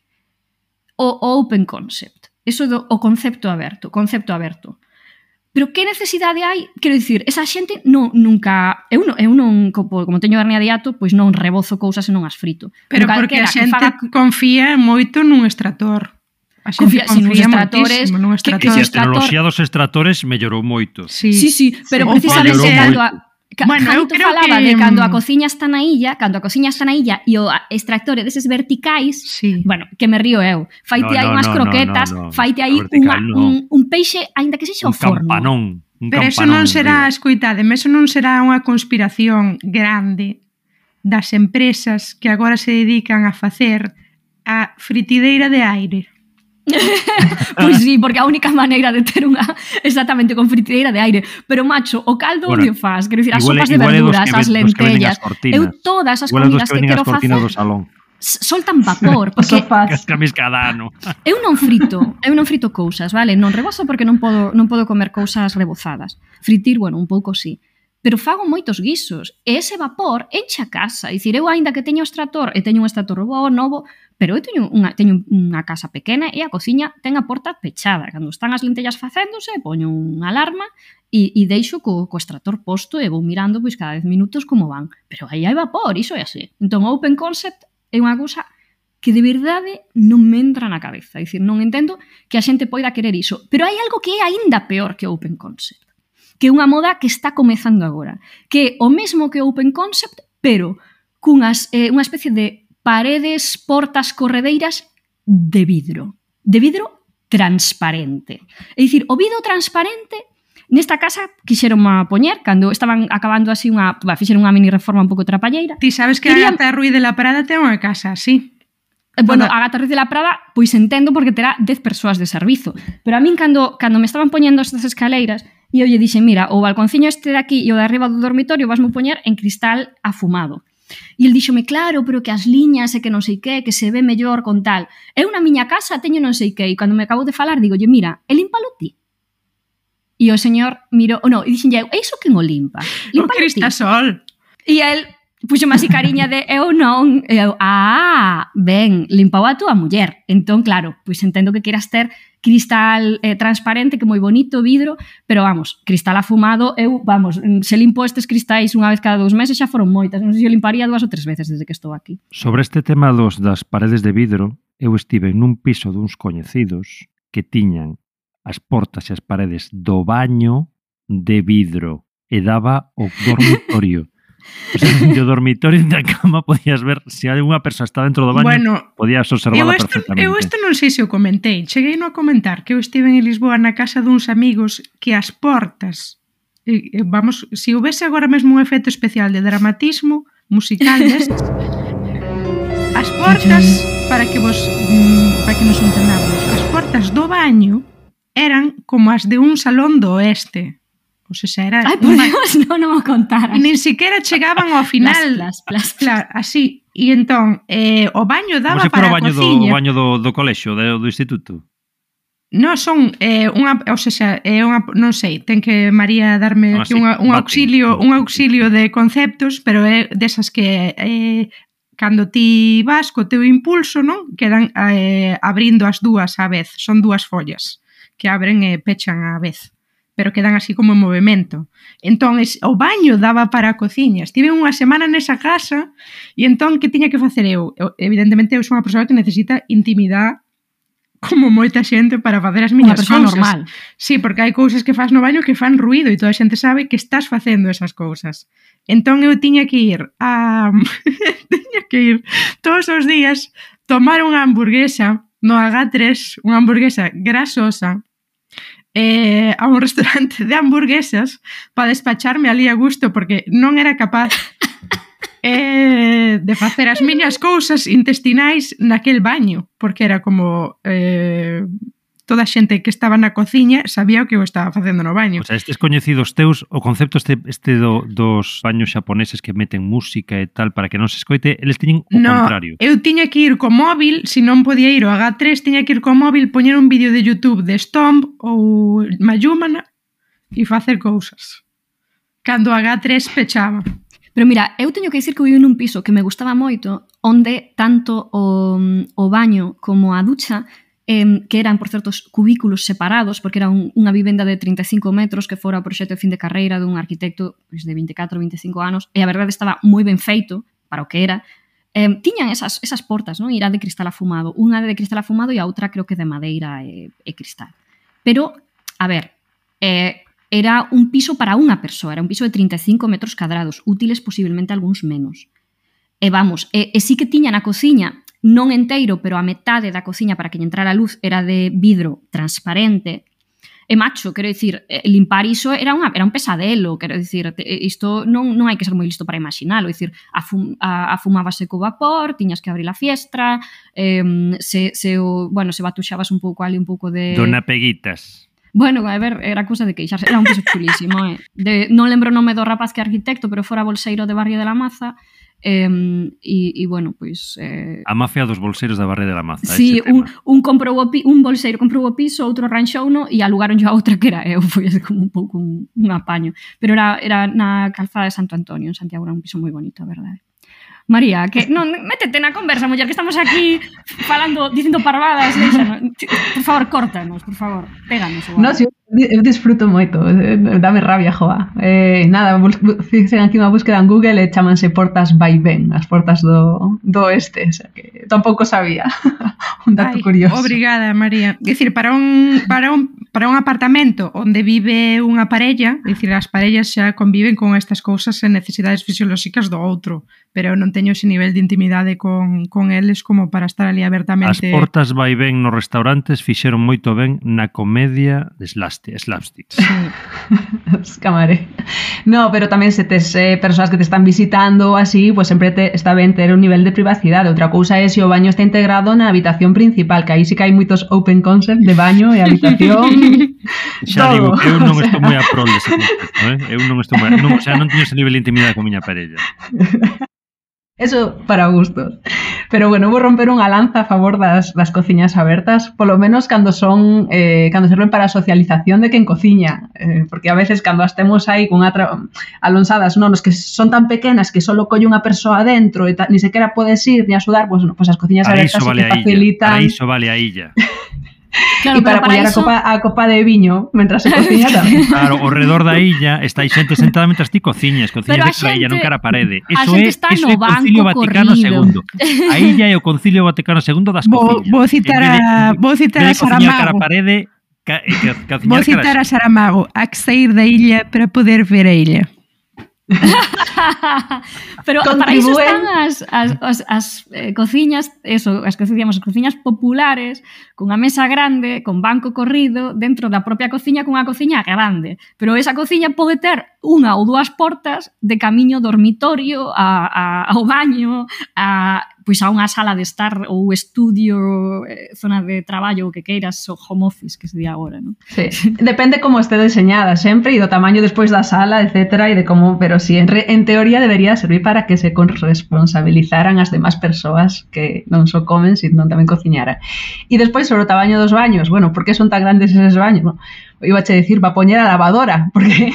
o open concept. Eso o concepto aberto. Pero que necesidade hai? Quero dicir, esa xente nunca... Eu non, como teño hernia de hiato, pois non rebozo cousas e non as frito. Pero porque a xente confía moito nun extractor. A xente confía moitísimo nun extractor. E a tecnoloxía dos extractores mellorou moito. Sí, pero precisamente Janito falaba de cando a cociña está na illa, e o extractor deses verticais, bueno, que me río eu. Faite aí unhas croquetas, faite aí un peixe, aínda que sexa o forno. Pero eso non será, escoitademe, eso non será unha conspiración grande das empresas que agora se dedican a facer a fritideira de aire. Pois sí, porque a única maneira de ter unha exactamente con fritideira de aire. Pero macho, o caldo onde faz, quero dicir, as sopas de verduras, as lentellas, eu todas as comidas que quero facer soltan vapor, porque eu non frito cousas, vale? Non rebozo porque non podo comer cousas rebozadas. Fritir, bueno, un pouco sí. Pero fago moitos guisos, e ese vapor enche a casa. É dicir, eu aínda que teño extractor, e teño un extractor novo, pero eu teño unha casa pequena e a cociña ten a porta pechada. Cando están as lentellas facéndose, poño unha alarma e deixo co extractor posto e vou mirando pois cada 10 minutos como van. Pero aí hai vapor, iso é así. Entón, o open concept é unha cousa que de verdade non me entra na cabeza. É dicir, non entendo que a xente poida querer iso. Pero hai algo que é aínda peor que o open concept, que é unha moda que está comezando agora, que é o mesmo que o open concept, pero unha especie de paredes, portas, corredeiras de vidro transparente. É dicir, o vidro transparente Nesta casa quixeron poñer, cando estaban acabando así fixeron unha mini reforma un pouco trapalleira. Ti sabes que a Gata Ruiz de la Prada ten unha casa así. Bueno, a Gata Ruiz de la Prada, pois entendo porque terá 10 persoas de servizo. Pero a min, cando me estaban poñendo estas escaleiras, e eu lle dixen, mira, o balconciño este de aquí e o de arriba do dormitorio vasmo poñer en cristal afumado. E el díxome, claro, pero que as liñas e que non sei que se ve mellor con tal. Eu na miña casa teño non sei que, e cando me acabo de falar, digo, mira, e límpalo ti. E o señor mirou, e dixen, e iso quen o limpa? O Cristasol. E el puxome así cariña de eu non, e eu, ben, limpou a túa muller. Entón, claro, pois entendo que queras ter cristal transparente, que moi bonito, vidro, pero vamos, cristal afumado, se limpo estes cristais unha vez cada 2 meses xa foron moitas, non sei se eu limparía 2 ou 3 veces desde que estou aquí. Sobre este tema das paredes de vidro, eu estive nun piso duns coñecidos que tiñan as portas e as paredes do baño de vidro e daba o dormitorio. O sea, no dormitorio da cama podías ver se alguna persoa está dentro do baño, podías observarla perfectamente. Eu isto non sei se o comentei. Cheguei a comentar que eu estive en Lisboa na casa duns amigos que as portas, se houvese agora mesmo un efecto especial de dramatismo musical destes, as portas, para que nos entendamos, as portas do baño eran como as de un salón do oeste. O sea, era... Ai, por Dios, non o contaras. Nin siquiera chegaban ao final. Claro, así. E entón, o baño daba para a cociña. O baño do colexio, do instituto? Non, son non sei, ten que María darme aquí un auxilio de conceptos, pero é desas que cando ti vas co teu impulso, non? Quedan abrindo as dúas á vez. Son 2 follas que abren e pechan á vez, pero quedan así como en movimento. Entón, o baño daba para a cociña. Estive unha semana nesa casa e entón, que tiña que facer eu? Evidentemente, eu sou unha persoa que necesita intimidade como moita xente para facer as miñas cousas. Normal. Sí, porque hai cousas que fas no baño que fan ruido e toda a xente sabe que estás facendo esas cousas. Entón, eu tiña que ir todos os días tomar unha hamburguesa no H3, unha hamburguesa grasosa, a un restaurante de hamburguesas para despacharme ali a gusto porque non era capaz de facer as miñas cousas intestinais naquel baño, porque era como toda a xente que estaba na cociña sabía o que eu estaba facendo no baño. O sea, estes coñecidos teus, o concepto dos baños xaponeses que meten música e tal para que non se escoite, eles tiñen o contrario. Eu tiña que ir co móvil, se non podía ir ao H3, tiña que ir co móvil, poñer un vídeo de YouTube de Stomp ou Mayumana e facer cousas. Cando a H3 pechaba. Pero mira, eu teño que dicir que vivo nun piso que me gustaba moito, onde tanto o baño como a ducha que eran, por certos, cubículos separados, porque era unha vivenda de 35 metros que fora o proxecto de fin de carreira dun arquitecto de 24 ou 25 anos, e a verdade estaba moi ben feito para o que era. Tiñan esas portas, non? Era de cristal afumado. Unha de cristal afumado e a outra creo que de madeira e cristal. Pero, a ver, era un piso para unha persoa, era un piso de 35 metros cadrados, útiles posiblemente algúns menos. E vamos, e sí que tiña na cociña, non enteiro, pero a metade da cociña para que lle entrara a luz era de vidro transparente. E macho, quero dicir, limpar iso era un pesadelo, quero dicir, isto non hai que ser moi listo para imaginalo, dicir, afumábase co vapor, tiñas que abrir a fiestra, se batuxabas un pouco ali un pouco de... Dona Peguitas. Bueno, a ver, era cousa de queixarse, era un piso chulísimo, non lembro o nome do rapaz que é arquitecto, pero fora bolseiro de Barrio de la Maza. E bueno, pois a mafia dos bolseiros da Barrio de la Maza. Sí, un bolseiro comprou o piso, outro ranxouno e alugaron a outra que era eu, foi como un pouco un apaño, pero era na calzada de Santo Antonio, en Santiago, era un piso moi bonito, a verdade. María, que non, métete na conversa, muller, que estamos aquí falando, dicindo parvadas, por favor, córtanos, por favor, péganos. No, si eu disfruto moito, dame rabia, joa. Nada, fixen aquí unha búsqueda en Google e chamanse portas vaivén, as portas do oeste, o sea que tampouco sabía. Un dato curioso. Obrigada, María. É dicir, para un para un apartamento onde vive unha parella, é dicir, as parellas xa conviven con estas cousas e necesidades fisiolóxicas do outro, pero eu non teño ese nivel de intimidade con eles como para estar ali abertamente. As portas vai ben nos restaurantes fixeron moito ben na comedia de slapstick. Sí. Escamaré. No, pero tamén se tes persoas que te están visitando así, pues sempre está ben ter un nivel de privacidade. Outra cousa é se o baño está integrado na habitación principal, que aí sí que hai moitos open concept de baño e habitación. Xa digo, eu non estou moi a prol dese concepto, eu non estou moi, non teño ese nivel de intimidade con miña parella. Eso para gustos. Pero bueno, vou romper unha lanza a favor das cociñas abertas, polo menos cando son cando serven para a socialización de quen cociña, porque a veces cando as temos aí con alonsadas, non, os que son tan pequenas que solo colle unha persoa dentro e ni sequera podes ir ni axudar, pues as cociñas abertas vale que facilitan. Para iso vale a illa. Claro, e para apoiar eso... a copa de viño mentras se cociña tamén. Claro, ao redor da illa está aí xente sentada mentras ti cociñas de cara a illa, non cara a parede. Eso é o Concilio Vaticano II. A illa é o Concilio Vaticano II das cociñas. Vou citar a Saramago. Cara a parede, vou citar a Saramago, há que sair da illa para poder ver a illa. Pero para iso están as cociñas, eso, as cociñas populares, cunha mesa grande, con banco corrido, dentro da propia cociña, cunha cociña grande. Pero esa cociña pode ter unha ou dúas portas de camiño dormitorio ao baño, pois a unha sala de estar ou estudio, zona de traballo, o que queiras, o home office, que se di agora, non? Sí, depende como este deseñada sempre e do tamaño despois da sala, etcétera, e de como, pero sí, en teoría debería servir para que se corresponsabilizaran as demás persoas que non só comen, sino tamén cociñaran. E despois sobre o tamaño dos baños, bueno, por que son tan grandes eses baños? No, iba a decir, va a poñer a lavadora, porque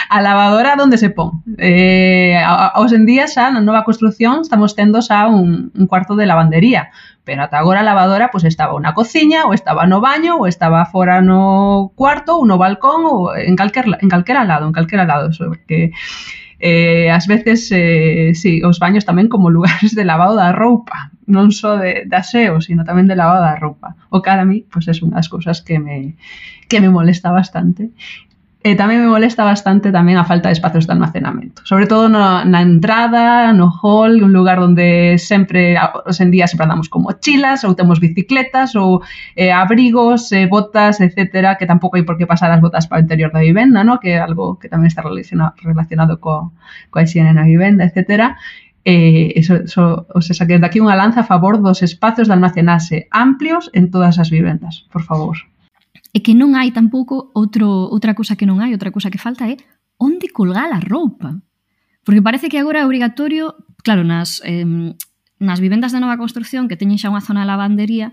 a lavadora onde se pon? Hoxe en día xa na nova construción estamos tendo xa un cuarto de lavandería, pero ata agora a lavadora pues estaba na cociña, ou estaba no baño, ou estaba fora no cuarto, ou no balcón, ou en calquera lado, porque ás veces sí, os baños tamén como lugares de lavado da roupa, non só de aseo, sino tamén de lavado da roupa. O que a mí, pues é unha das cousas que me molesta bastante. Tamén me molesta bastante tamén a falta de espacios de almacenamento, sobre todo na entrada, no hall, un lugar onde sempre, hoxe en día sempre andamos con mochilas, ou temos bicicletas, ou abrigos, botas, etcétera, que tampouco hai por que pasar as botas para o interior da vivenda, ¿no? Que é algo que tamén está relacionado coa higiene na vivenda, etcétera. O sea, que desde aquí unha lanza a favor dos espacios de almacenase amplios en todas as vivendas, por favor. E que non hai tampouco outra cousa que non hai, outra cousa que falta é onde colgar a roupa. Porque parece que agora é obrigatorio, claro, nas vivendas de nova construción que teñen xa unha zona de lavandería,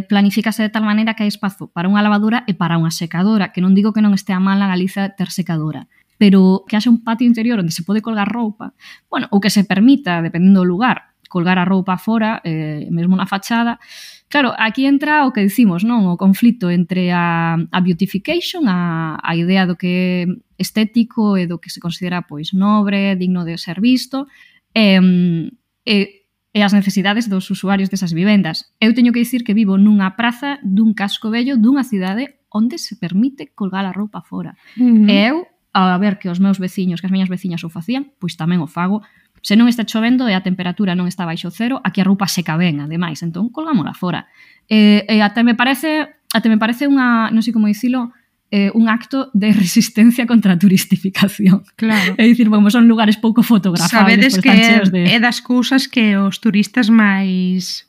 planifícase de tal maneira que hai espazo para unha lavadora e para unha secadora, que non digo que non estea mal na Galiza ter secadora, pero que haxa un patio interior onde se pode colgar roupa, bueno, ou que se permita, dependendo do lugar, colgar a roupa fora, mesmo na fachada. Claro, aquí entra o que dicimos, non? O conflito entre a beautification, a idea do que é estético e do que se considera pois nobre, digno de ser visto, e as necesidades dos usuarios desas vivendas. Eu teño que dicir que vivo nunha praza dun casco vello dunha cidade onde se permite colgar a roupa fora. E eu, a ver que os meus veciños, que as miñas veciñas o facían, pois tamén o fago. Se non está chovendo e a temperatura non está baixo cero, aquí a roupa seca ben, ademais, entón colgámola fora. E até me parece unha, non sei como dicilo, un acto de resistencia contra a turistificación. Claro. É dicir, bueno, son lugares pouco fotografables. Sabedes que é das cousas que os turistas máis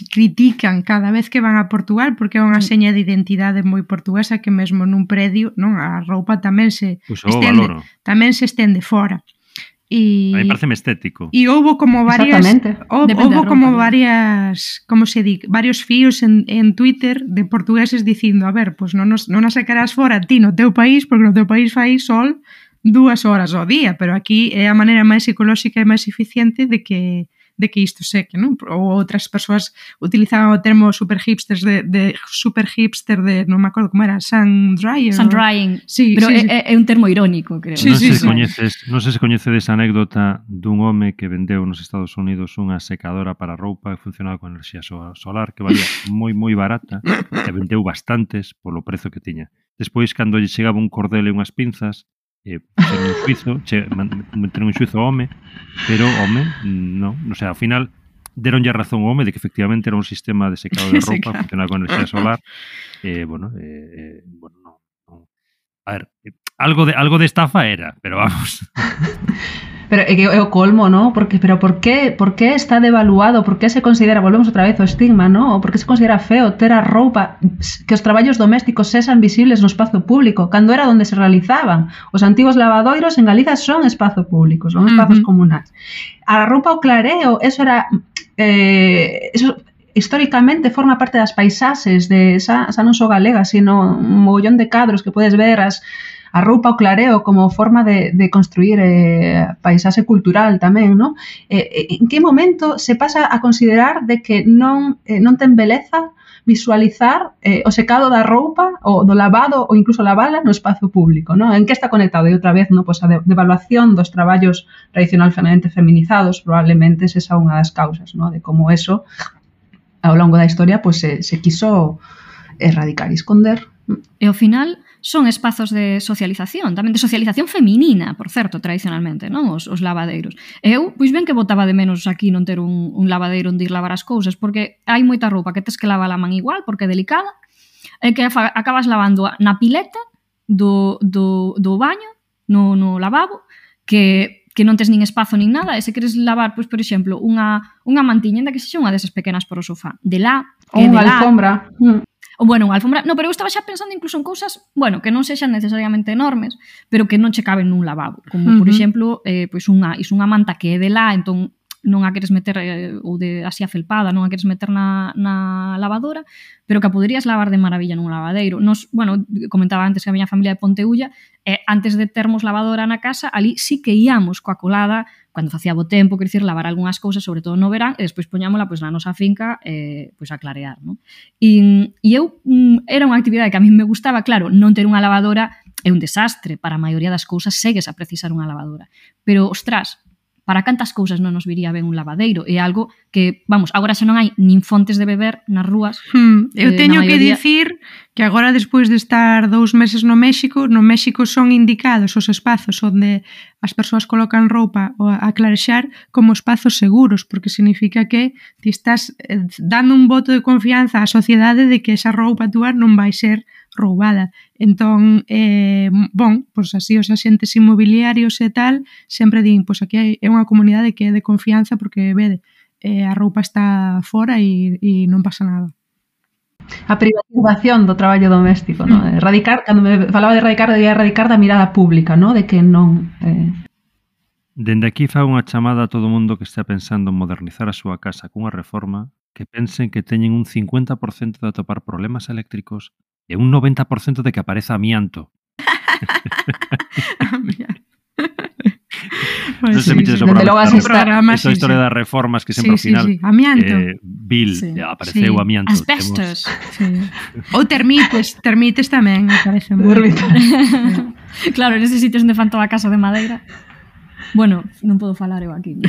critican cada vez que van a Portugal, porque é unha seña de identidade moi portuguesa que mesmo nun predio, non, a roupa tamén se estende fora. A mí parece estético. E houbo como varias como se di, varios fíos en Twitter de portugueses dicindo, a ver, pois non a sacarás fora ti no teu país, porque no teu país fai sol 2 horas ao día, pero aquí é a maneira máis ecolóxica e máis eficiente de que que isto seque, non? Ou outras persoas utilizaban o termo super hipster de non me acordo como era, sun drying. Sí, pero sí, é un termo irónico, creo. Sí, non sei se coñecedes a anécdota dun home que vendeu nos Estados Unidos unha secadora para roupa que funcionaba con enerxía solar que valía moi barata e vendeu bastantes polo prezo que tiña. Despois, cando lle chegaba un cordel e unhas pinzas, meteron en xuizo ao home, pero home, non, o sea, ao final deronlle a razón ao home de que efectivamente era un sistema de secado de roupa, claro, funcionaba con enerxía solar, bueno, non. A ver, algo de estafa era, pero vamos. Pero é o colmo, ¿no? Pero por qué está devaluado? Por qué se considera, volvemos outra vez ao estigma, ¿no? Por qué se considera feo ter a roupa, que os traballos domésticos sexan visibles no espazo público, cando era onde se realizaban? Os antigos lavadoiros en Galiza son espazo público, son espazos comunais. A roupa ao clareo, eso era... eso históricamente forma parte das paisaxes de xa non só galega, sino un mogollón de cadros que podes ver a roupa ao clareo como forma de construir paisaxe cultural tamén, non? En que momento se pasa a considerar de que non ten beleza visualizar o secado da roupa, ou do lavado, ou incluso lavala no espazo público, non? En que está conectado? E outra vez, non? Pois a devaluación dos traballos tradicionalmente feminizados probablemente esa unha das causas, non? De como eso, ao longo da historia, pois se quiso erradicar e esconder. E ao final son espazos de socialización, tamén de socialización feminina, por certo, tradicionalmente, non? Os lavadeiros. E eu, pois ben que botaba de menos aquí non ter un lavadeiro onde ir lavar as cousas, porque hai moita roupa que tes que lavar a man igual, porque é delicada, e que acabas lavando na pileta do baño, no lavabo, que non tes nin espazo nin nada, e se queres lavar, pois, por exemplo, unha mantiña, ainda que sexa unha desas pequenas para o sofá, de lá, ou unha alfombra. Ou, bueno, unha alfombra... No, pero eu estaba xa pensando incluso en cousas, bueno, que non sexan necesariamente enormes, pero que non che caben nun lavabo. Como, por exemplo, pois unha manta que é de lá, entón non a queres meter, ou de así afelpada, non a queres meter na lavadora, pero que a poderías lavar de maravilla nun lavadeiro. Nos, bueno, comentaba antes que a miña familia de Ponteulla, antes de termos lavadora na casa, ali sí que íamos coa colada, cando facía bo tempo, quer dicir, lavar algunhas cousas, sobre todo no verán, e despois poñámola pois, na nosa finca pois, a clarear. Non? E eu, era unha actividade que a mí me gustaba, claro, non ter unha lavadora é un desastre, para a maioría das cousas segues a precisar unha lavadora. Pero, ostras, para cantas cousas non nos viría ben un lavadeiro? É algo que, vamos, agora xa non hai nin fontes de beber nas rúas. Eu teño que dicir que agora, despois de estar 2 meses no México son indicados os espazos onde as persoas colocan roupa a clarexar como espazos seguros, porque significa que ti estás dando un voto de confianza á sociedade de que esa roupa túa non vai ser roubada. Entón, pois así os axentes inmobiliarios e tal sempre din, pois aquí é unha comunidade que é de confianza porque, vede, a roupa está fora e non pasa nada. A privatización do traballo doméstico, non? Erradicar, cando me falaba de erradicar, debía erradicar da mirada pública, non? De que non... Dende aquí fago unha chamada a todo o mundo que está pensando en modernizar a súa casa cunha reforma que pensen que teñen un 50% de atopar problemas eléctricos e un 90% de que apareza amianto. Non se mites o programa. Esa historia das reformas que sempre ao final Bill, apareceu amianto. Asbestos. Ou termites tamén, me parece moi. Claro, en ese sitio onde fan toda a casa de madeira. Bueno, non podo falar eu aquí.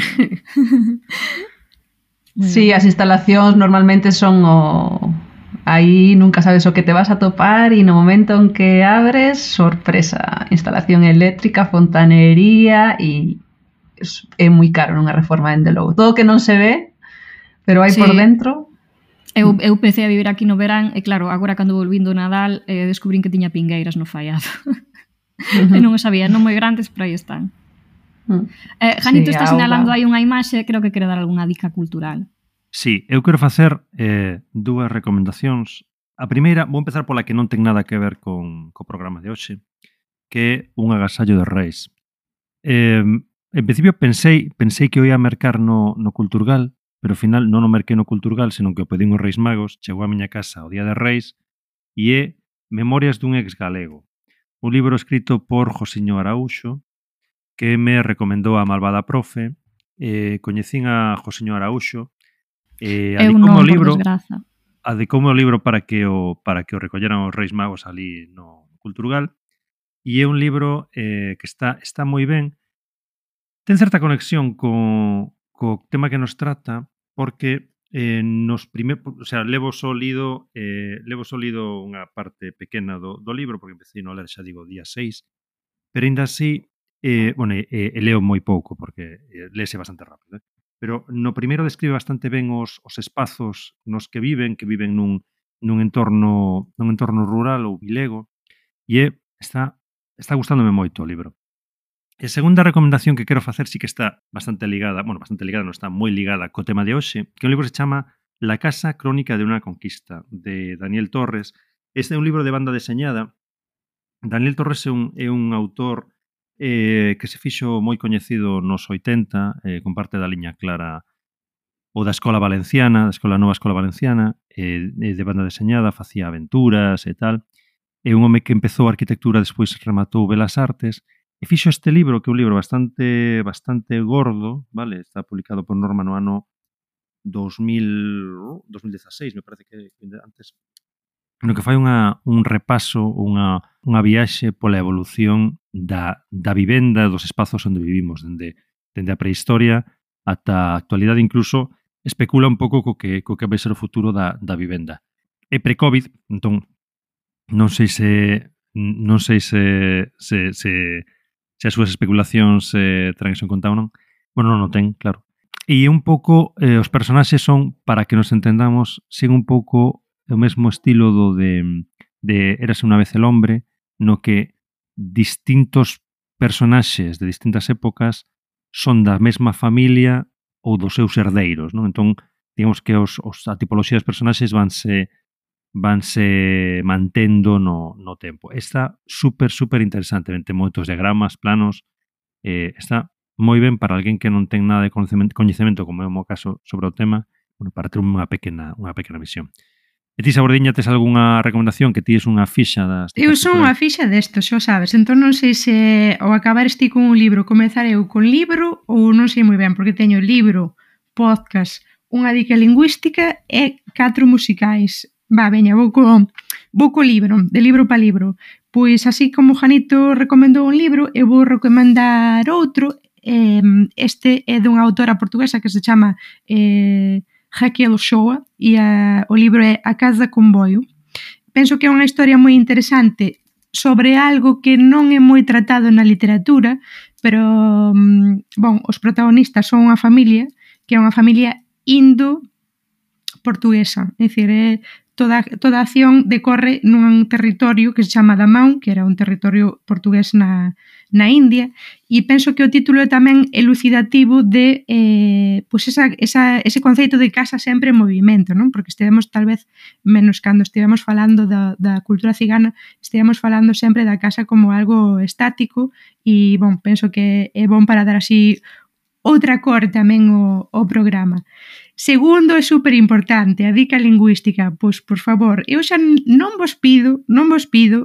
Sí, as instalacións normalmente son aí nunca sabes o que te vas a topar e no momento en que abres, sorpresa, instalación eléctrica, fontanería e é moi caro nunha reforma, dende logo. Todo que non se ve, pero hai por dentro. Eu empecé a vivir aquí no verán e claro, agora cando volvindo o Nadal descubrín que tiña pingueiras no fallado. E non o sabía, non moi grandes, pero aí están. Janito está sinalando aí unha imaxe, creo que quere dar algunha dica cultural. Sí, eu quero facer 2 recomendacións. A primeira, vou empezar pola que non ten nada que ver co programa de hoxe, que é un agasallo de Reis. En principio pensei que o ia mercar no Culturgal, pero ao final non o merquei no Culturgal, senón que o pedín os Reis Magos, chegou á miña casa o Día de Reis, e é Memorias dun ex galego, un libro escrito por Josiño Araúxo, que me recomendou a malvada profe, coñecín a Joseño Araúxo, Eu non, por desgraza. Adicoume o libro para que o recolleran os Reis Magos ali no Culturgal, e é un libro que está moi ben. Ten certa conexión co tema que nos trata, porque levo só lido unha parte pequena do libro, porque empecé a ler, xa digo, día 6, pero ainda así, leo moi pouco, porque léese bastante rápido, pero no primeiro describe bastante ben os espazos nos que viven nun entorno rural ou vilego, e está gustándome moito o libro. E a segunda recomendación que quero facer sí que está bastante ligada, non está moi ligada co tema de hoxe, que un libro se chama La casa crónica de una conquista, de Daniel Torres. Este é un libro de banda deseñada. Daniel Torres é un autor que se fixo moi coñecido nos 80, con parte da liña clara ou da Escola Valenciana, da Nova Escola Valenciana, de banda deseñada, facía aventuras e tal. É un home que empezou a arquitectura, despois rematou Belas Artes, e fixo este libro, que é un libro bastante gordo, vale? Está publicado por Norma no ano 2016, me parece que antes, no que fai un repaso, unha viaxe pola evolución da vivenda, dos espazos onde vivimos, dende a prehistoria ata a actualidade, incluso especula un pouco co que vai ser o futuro da vivenda. É pre-COVID, entón non sei se as súas especulacións terán iso en conta ou non. Bueno, non o ten, claro. E un pouco, os personaxes son, para que nos entendamos, sen un pouco o mesmo estilo do de Érase unha vez el hombre, no que distintos personaxes de distintas épocas son da mesma familia ou dos seus herdeiros, non? Entón, digamos que a tipoloxía dos personaxes vanse mantendo no tempo. Está super interesante, ten moitos diagramas, planos, está moi ben para alguén que non ten nada de coñecemento, como é o meu caso, sobre o tema, para ter unha pequena visión. E ti, Sabordiña, tes algunha recomendación, que ti és unha fixa das... Eu son unha fixa destos, xa sabes, entón non sei se ao acabar ti con un libro, comezar eu con libro, ou non sei moi ben, porque teño libro, podcast, unha dica lingüística e 4 musicais. Veña, vou co libro, de libro para libro. Pois así como Janito recomendou un libro, eu vou recomendar outro. Este é dunha autora portuguesa que se chama Raquel Ochoa, e o libro é A Casa Comboio. Penso que é unha historia moi interesante sobre algo que non é moi tratado na literatura, pero, os protagonistas son unha familia, que é unha familia indo-portuguesa, é dicir, toda a acción decorre nun territorio que se chama Damán, que era un territorio portugués na India, e penso que o título é tamén elucidativo de ese conceito de casa sempre en movimento, non? Porque estivemos tal vez, menos cando estivemos falando da cultura cigana, estivemos falando sempre da casa como algo estático, e, penso que é bon para dar así outra cor tamén o programa. Segundo, é super importante, a dica lingüística. Pois, por favor, eu xa non vos pido,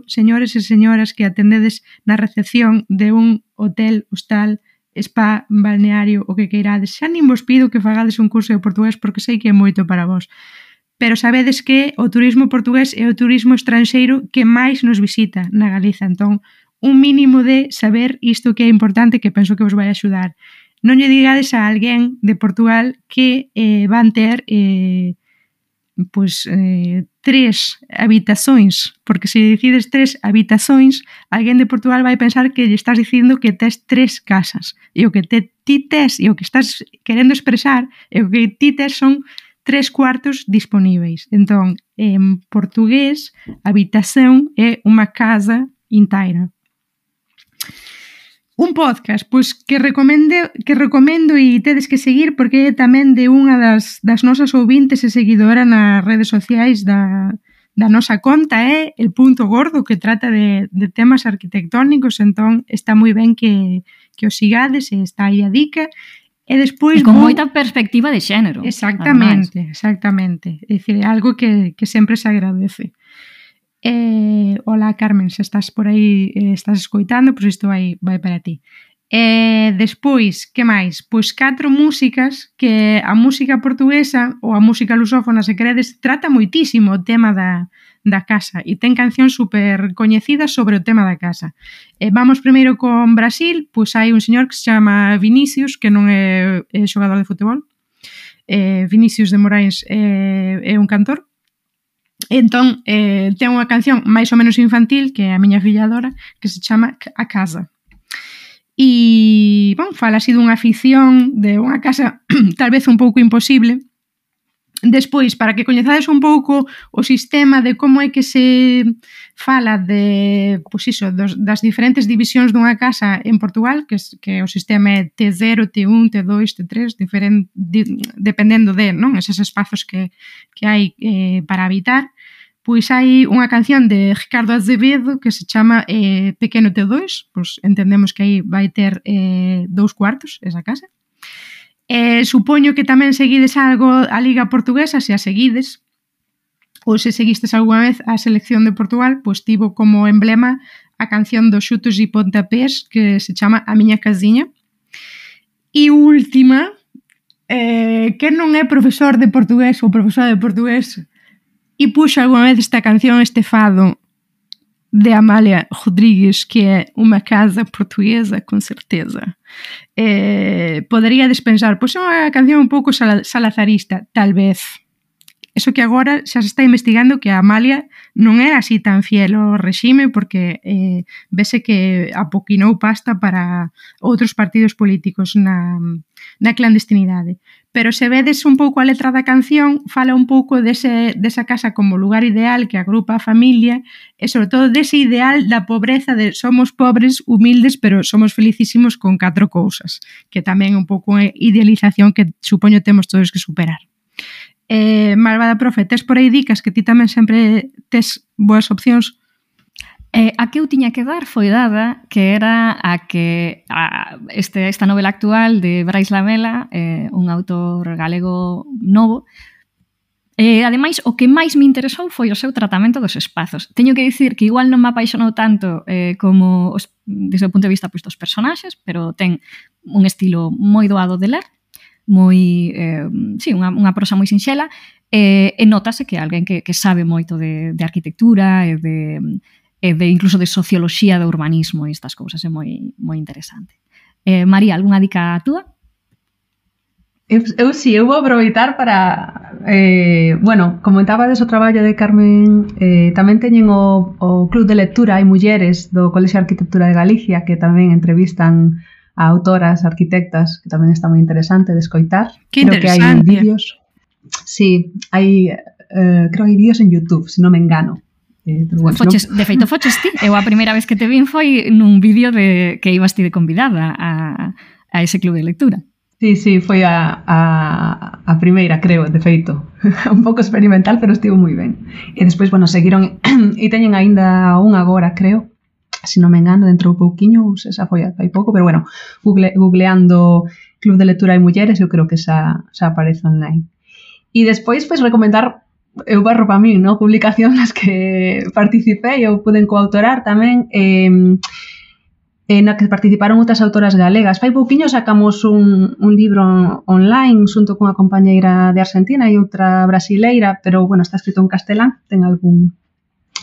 señores e señoras que atendedes na recepción de un hotel, hostal, spa, balneario, o que queirades, xa nin vos pido que fagades un curso de portugués, porque sei que é moito para vos. Pero sabedes que o turismo portugués é o turismo estranxeiro que máis nos visita na Galiza. Entón, un mínimo de saber isto que é importante, que penso que vos vai axudar. Non lle digades a alguén de Portugal que van ter 3 habitações, porque se decides 3 habitações, alguén de Portugal vai pensar que lle estás dicindo que tes 3 casas, e o que ti tes, e o que estás querendo expresar, e o que ti tes son 3 cuartos disponíveis. Entón, en portugués, habitación é unha casa inteira. Un podcast, pois que recomendo e tedes que seguir, porque é tamén de unha das nosas ouvintes e seguidora nas redes sociais da nosa conta, é El Punto Gordo, que trata de temas arquitectónicos, entón está moi ben que o sigades, e está aí a dica. E despois con moita perspectiva de xénero. Exactamente. É dicir, é algo que sempre se agradece. Hola, Carmen, se estás por aí, estás escoitando, pois isto vai para ti. Despois, que máis? Pois 4 músicas que a música portuguesa ou a música lusófona, se queredes, trata moitísimo o tema da casa e ten cancións super coñecidas sobre o tema da casa. Vamos primeiro con Brasil, pois hai un señor que se chama Vinicius, que non é xogador de futebol. Vinicius de Moraes é un cantor. Entón, ten unha canción máis ou menos infantil, que é a miña filla adora, que se chama A Casa. E, bon, fala así dunha afición de unha casa tal vez un pouco imposible. Despois, para que coñezades un pouco o sistema de como é que se fala de, pois iso, das diferentes divisións dunha casa en Portugal, que o sistema é T0, T1, T2, T3, dependendo de, non, eses espazos que hai para habitar. Pois hai unha canción de Ricardo Azevedo que se chama Pequeno T2, pois entendemos que aí vai ter 2 cuartos esa casa. Supoño que tamén seguides algo a Liga Portuguesa, se a seguides, ou se seguistes algunha vez a selección de Portugal, pois tivo como emblema a canción dos xutos e pontapés que se chama A Miña Casiña. E última, que non é profesor de portugués ou profesora de portugués e puxo algunha vez esta canción, este fado de Amália Rodrigues, que é Uma Casa Portuguesa, con certeza. Podería despensar, pois é unha canción un pouco salazarista, tal vez. Eso que agora xa se está investigando que a Amália non era así tan fiel ao regime porque vese que apoquinou pasta para outros partidos políticos na clandestinidade. Pero se vedes un pouco a letra da canción, fala un pouco desa casa como lugar ideal que agrupa a familia e sobre todo dese ideal da pobreza de somos pobres, humildes, pero somos felicísimos con 4 cousas, que tamén é un pouco unha idealización que supoño temos todos que superar. Malvada profe, tes por aí dicas que ti tamén sempre tes boas opcións? A que eu tiña que dar foi dada, que era a que esta novela actual de Brais Lamela, un autor galego novo. Ademais, o que máis me interesou foi o seu tratamento dos espazos. Teño que dicir que igual non me apaixonou tanto como desde o punto de vista dos personaxes, pero ten un estilo moi doado de ler, moi, unha prosa moi sinxela, e notase que é alguén que sabe moito de arquitectura e de incluso de socioloxía do urbanismo e estas cousas, é moi interesante. María, algunha dica túa? Eu vou aproveitar para comentabades o traballo de Carmen, tamén teñen o Club de Lectura Hai Mulleres do Colexio de Arquitectura de Galicia que tamén entrevistan a autoras, arquitectas, que tamén está moi interesante de escoitar. Que interesante. Creo que hai vídeos. Sí, creo que hai vídeos en YouTube, se non me engano. Bueno, de feito, foches ti. Eu a primeira vez que te vin foi nun vídeo que ibas ti de convidada a ese club de lectura. Sí, foi a primeira, creo, de feito. Un pouco experimental, pero estivo moi ben. E despois, seguiron e teñen aínda un agora, creo, se non me engano, dentro un pouquiño, xa foi hai pouco, pero googleando Club de Lectura Hai Mulleres, eu creo que xa aparece online. E despois, recomendar eu barro para min, ¿no? Publicacións nas que participei, eu puden coautorar tamén, na que participaron outras autoras galegas. Fai pouquiño sacamos un libro online xunto cunha compañeira de Argentina e outra brasileira, pero, está escrito en castelán, ten algún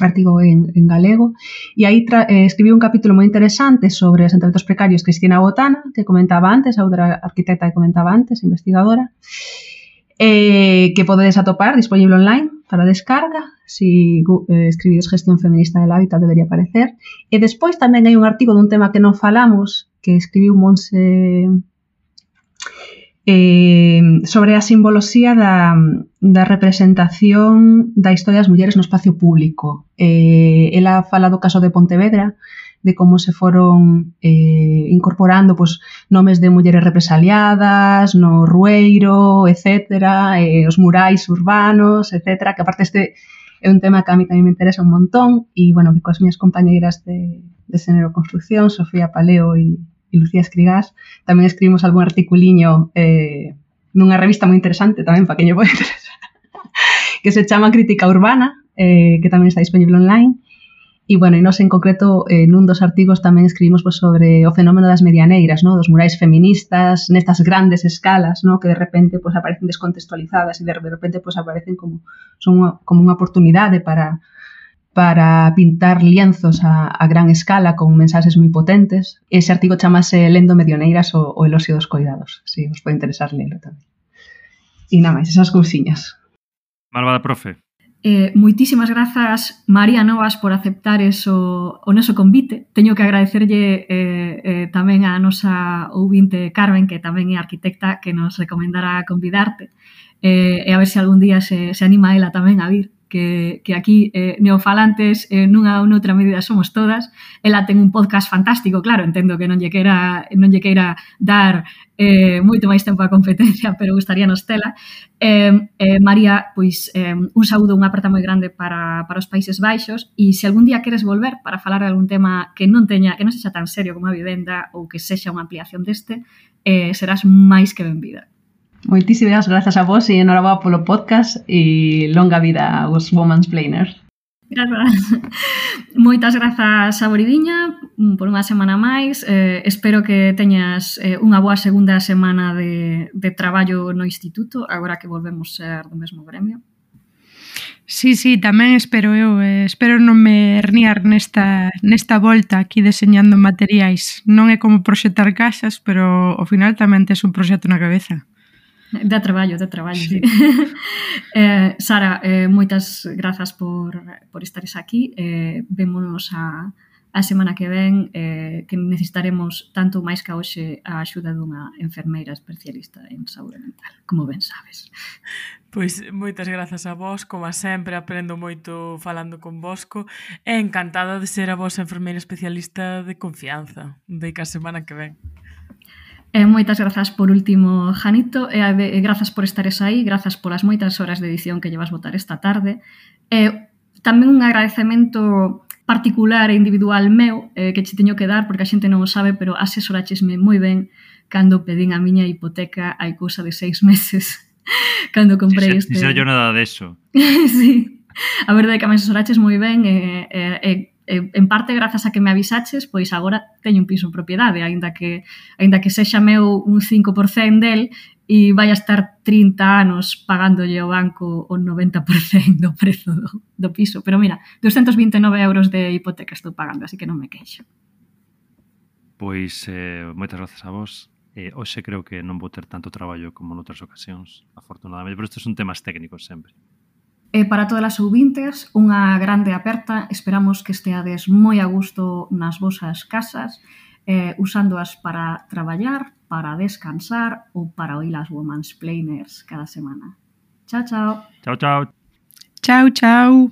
artigo en galego, e aí escribí un capítulo moi interesante sobre asentamentos precarios Cristina Botana, que comentaba antes, a outra arquitecta que comentaba antes, investigadora, que podedes atopar disponible online para descarga. Si escribides Gestión Feminista del Hábitat debería aparecer. E despois tamén hai un artigo dun tema que non falamos que escribiu Monse sobre a simboloxía da representación da historia das mulleres no espacio público. Ela fala do caso de Pontevedra, de como se foron incorporando nomes de mulleres represaliadas no Rueiro, etcétera, os murais urbanos, etcétera, que aparte este é un tema que a mí tamén me interesa un montón e, que coas miñas compañeiras de Xénero Construcción, Sofía Paleo e Lucía Escrigás, tamén escribimos algún articuliño nunha revista moi interesante tamén para que lle pode interesar, que se chama Crítica Urbana, que tamén está disponible online. E, bueno, e nós en concreto, nun dos artigos tamén escribimos pues, sobre o fenómeno das medianeiras, ¿no? Dos murais feministas, nestas grandes escalas, ¿no? Que de repente pues, aparecen descontextualizadas e de repente pues, aparecen como unha oportunidade para pintar lienzos a gran escala con mensaxes moi potentes. Ese artigo chamase Lendo Medioneiras o elosio dos coidados. Si, os pode interesar lelo tamén. E nada máis, esas cousiñas. Malvada profe. Moitísimas grazas, María Novas, por aceptar o noso convite. Teño que agradecerlle tamén a nosa ouvinte Carmen, que tamén é arquitecta, que nos recomendara convidarte. E a ver se algún día se anima ela tamén a vir. Que aquí neofalantes nunha ou noutra medida somos todas. Ela ten un podcast fantástico, claro, entendo que non lle queira dar moito máis tempo a competencia, pero gustaríanos tela. María, pois un saúdo, unha aperta moi grande para os Países Baixos, e se algún día queres volver para falar de algún tema que non sexa tan serio como a vivenda ou que sexa unha ampliación deste, serás máis que benvida. Moitísimas grazas a vos e enhoraboa polo podcast e longa vida aos Womansplainers. Grazas. Moitas grazas a Boridiña por unha semana máis. Espero que teñas unha boa segunda semana de traballo no instituto, agora que volvemos ser do mesmo gremio. Sí, tamén espero eu. Espero non me herniar nesta volta aquí deseñando materiais. Non é como proxectar casas, pero ao final tamén tes un proxecto na cabeza. De traballo, sí. Sara, moitas grazas por estares aquí. Vémonos a semana que ven, que necesitaremos tanto máis que hoxe a axuda dunha enfermeira especialista en saúde mental, como ben sabes. Pois moitas grazas a vos, como sempre, aprendo moito falando con vosco, e encantada de ser a vosa enfermeira especialista de confianza. Deica a semana que ven. Moitas grazas por último, Janito, e grazas por estares aí, grazas polas moitas horas de edición que llevas botar esta tarde. Tamén un agradecemento particular e individual meu que che teño que dar, porque a xente non o sabe, pero asesoráchesme moi ben cando pedín a miña hipoteca hai cousa de 6 meses, cando comprei este... Si sei yo nada deso. Sí, a verdade é que me asesoraches moi ben en parte grazas a que me avisaches, pois agora teño un piso en propiedade, aínda que sexa meu un 5% del e vai a estar 30 anos pagándolle ao banco o 90% do prezo do piso. Pero mira, 229 euros de hipoteca estou pagando, así que non me queixo. Pois moitas grazas a vos. Hoxe creo que non vou ter tanto traballo como noutras ocasións, afortunadamente, pero estes son temas técnicos sempre. E para todas as ouvintes, unha grande aperta. Esperamos que esteades moi a gusto nas vosas casas, usándoas para traballar, para descansar ou para oír as Womansplainers cada semana. Chao, chao. Chao, chao. Chao, chao.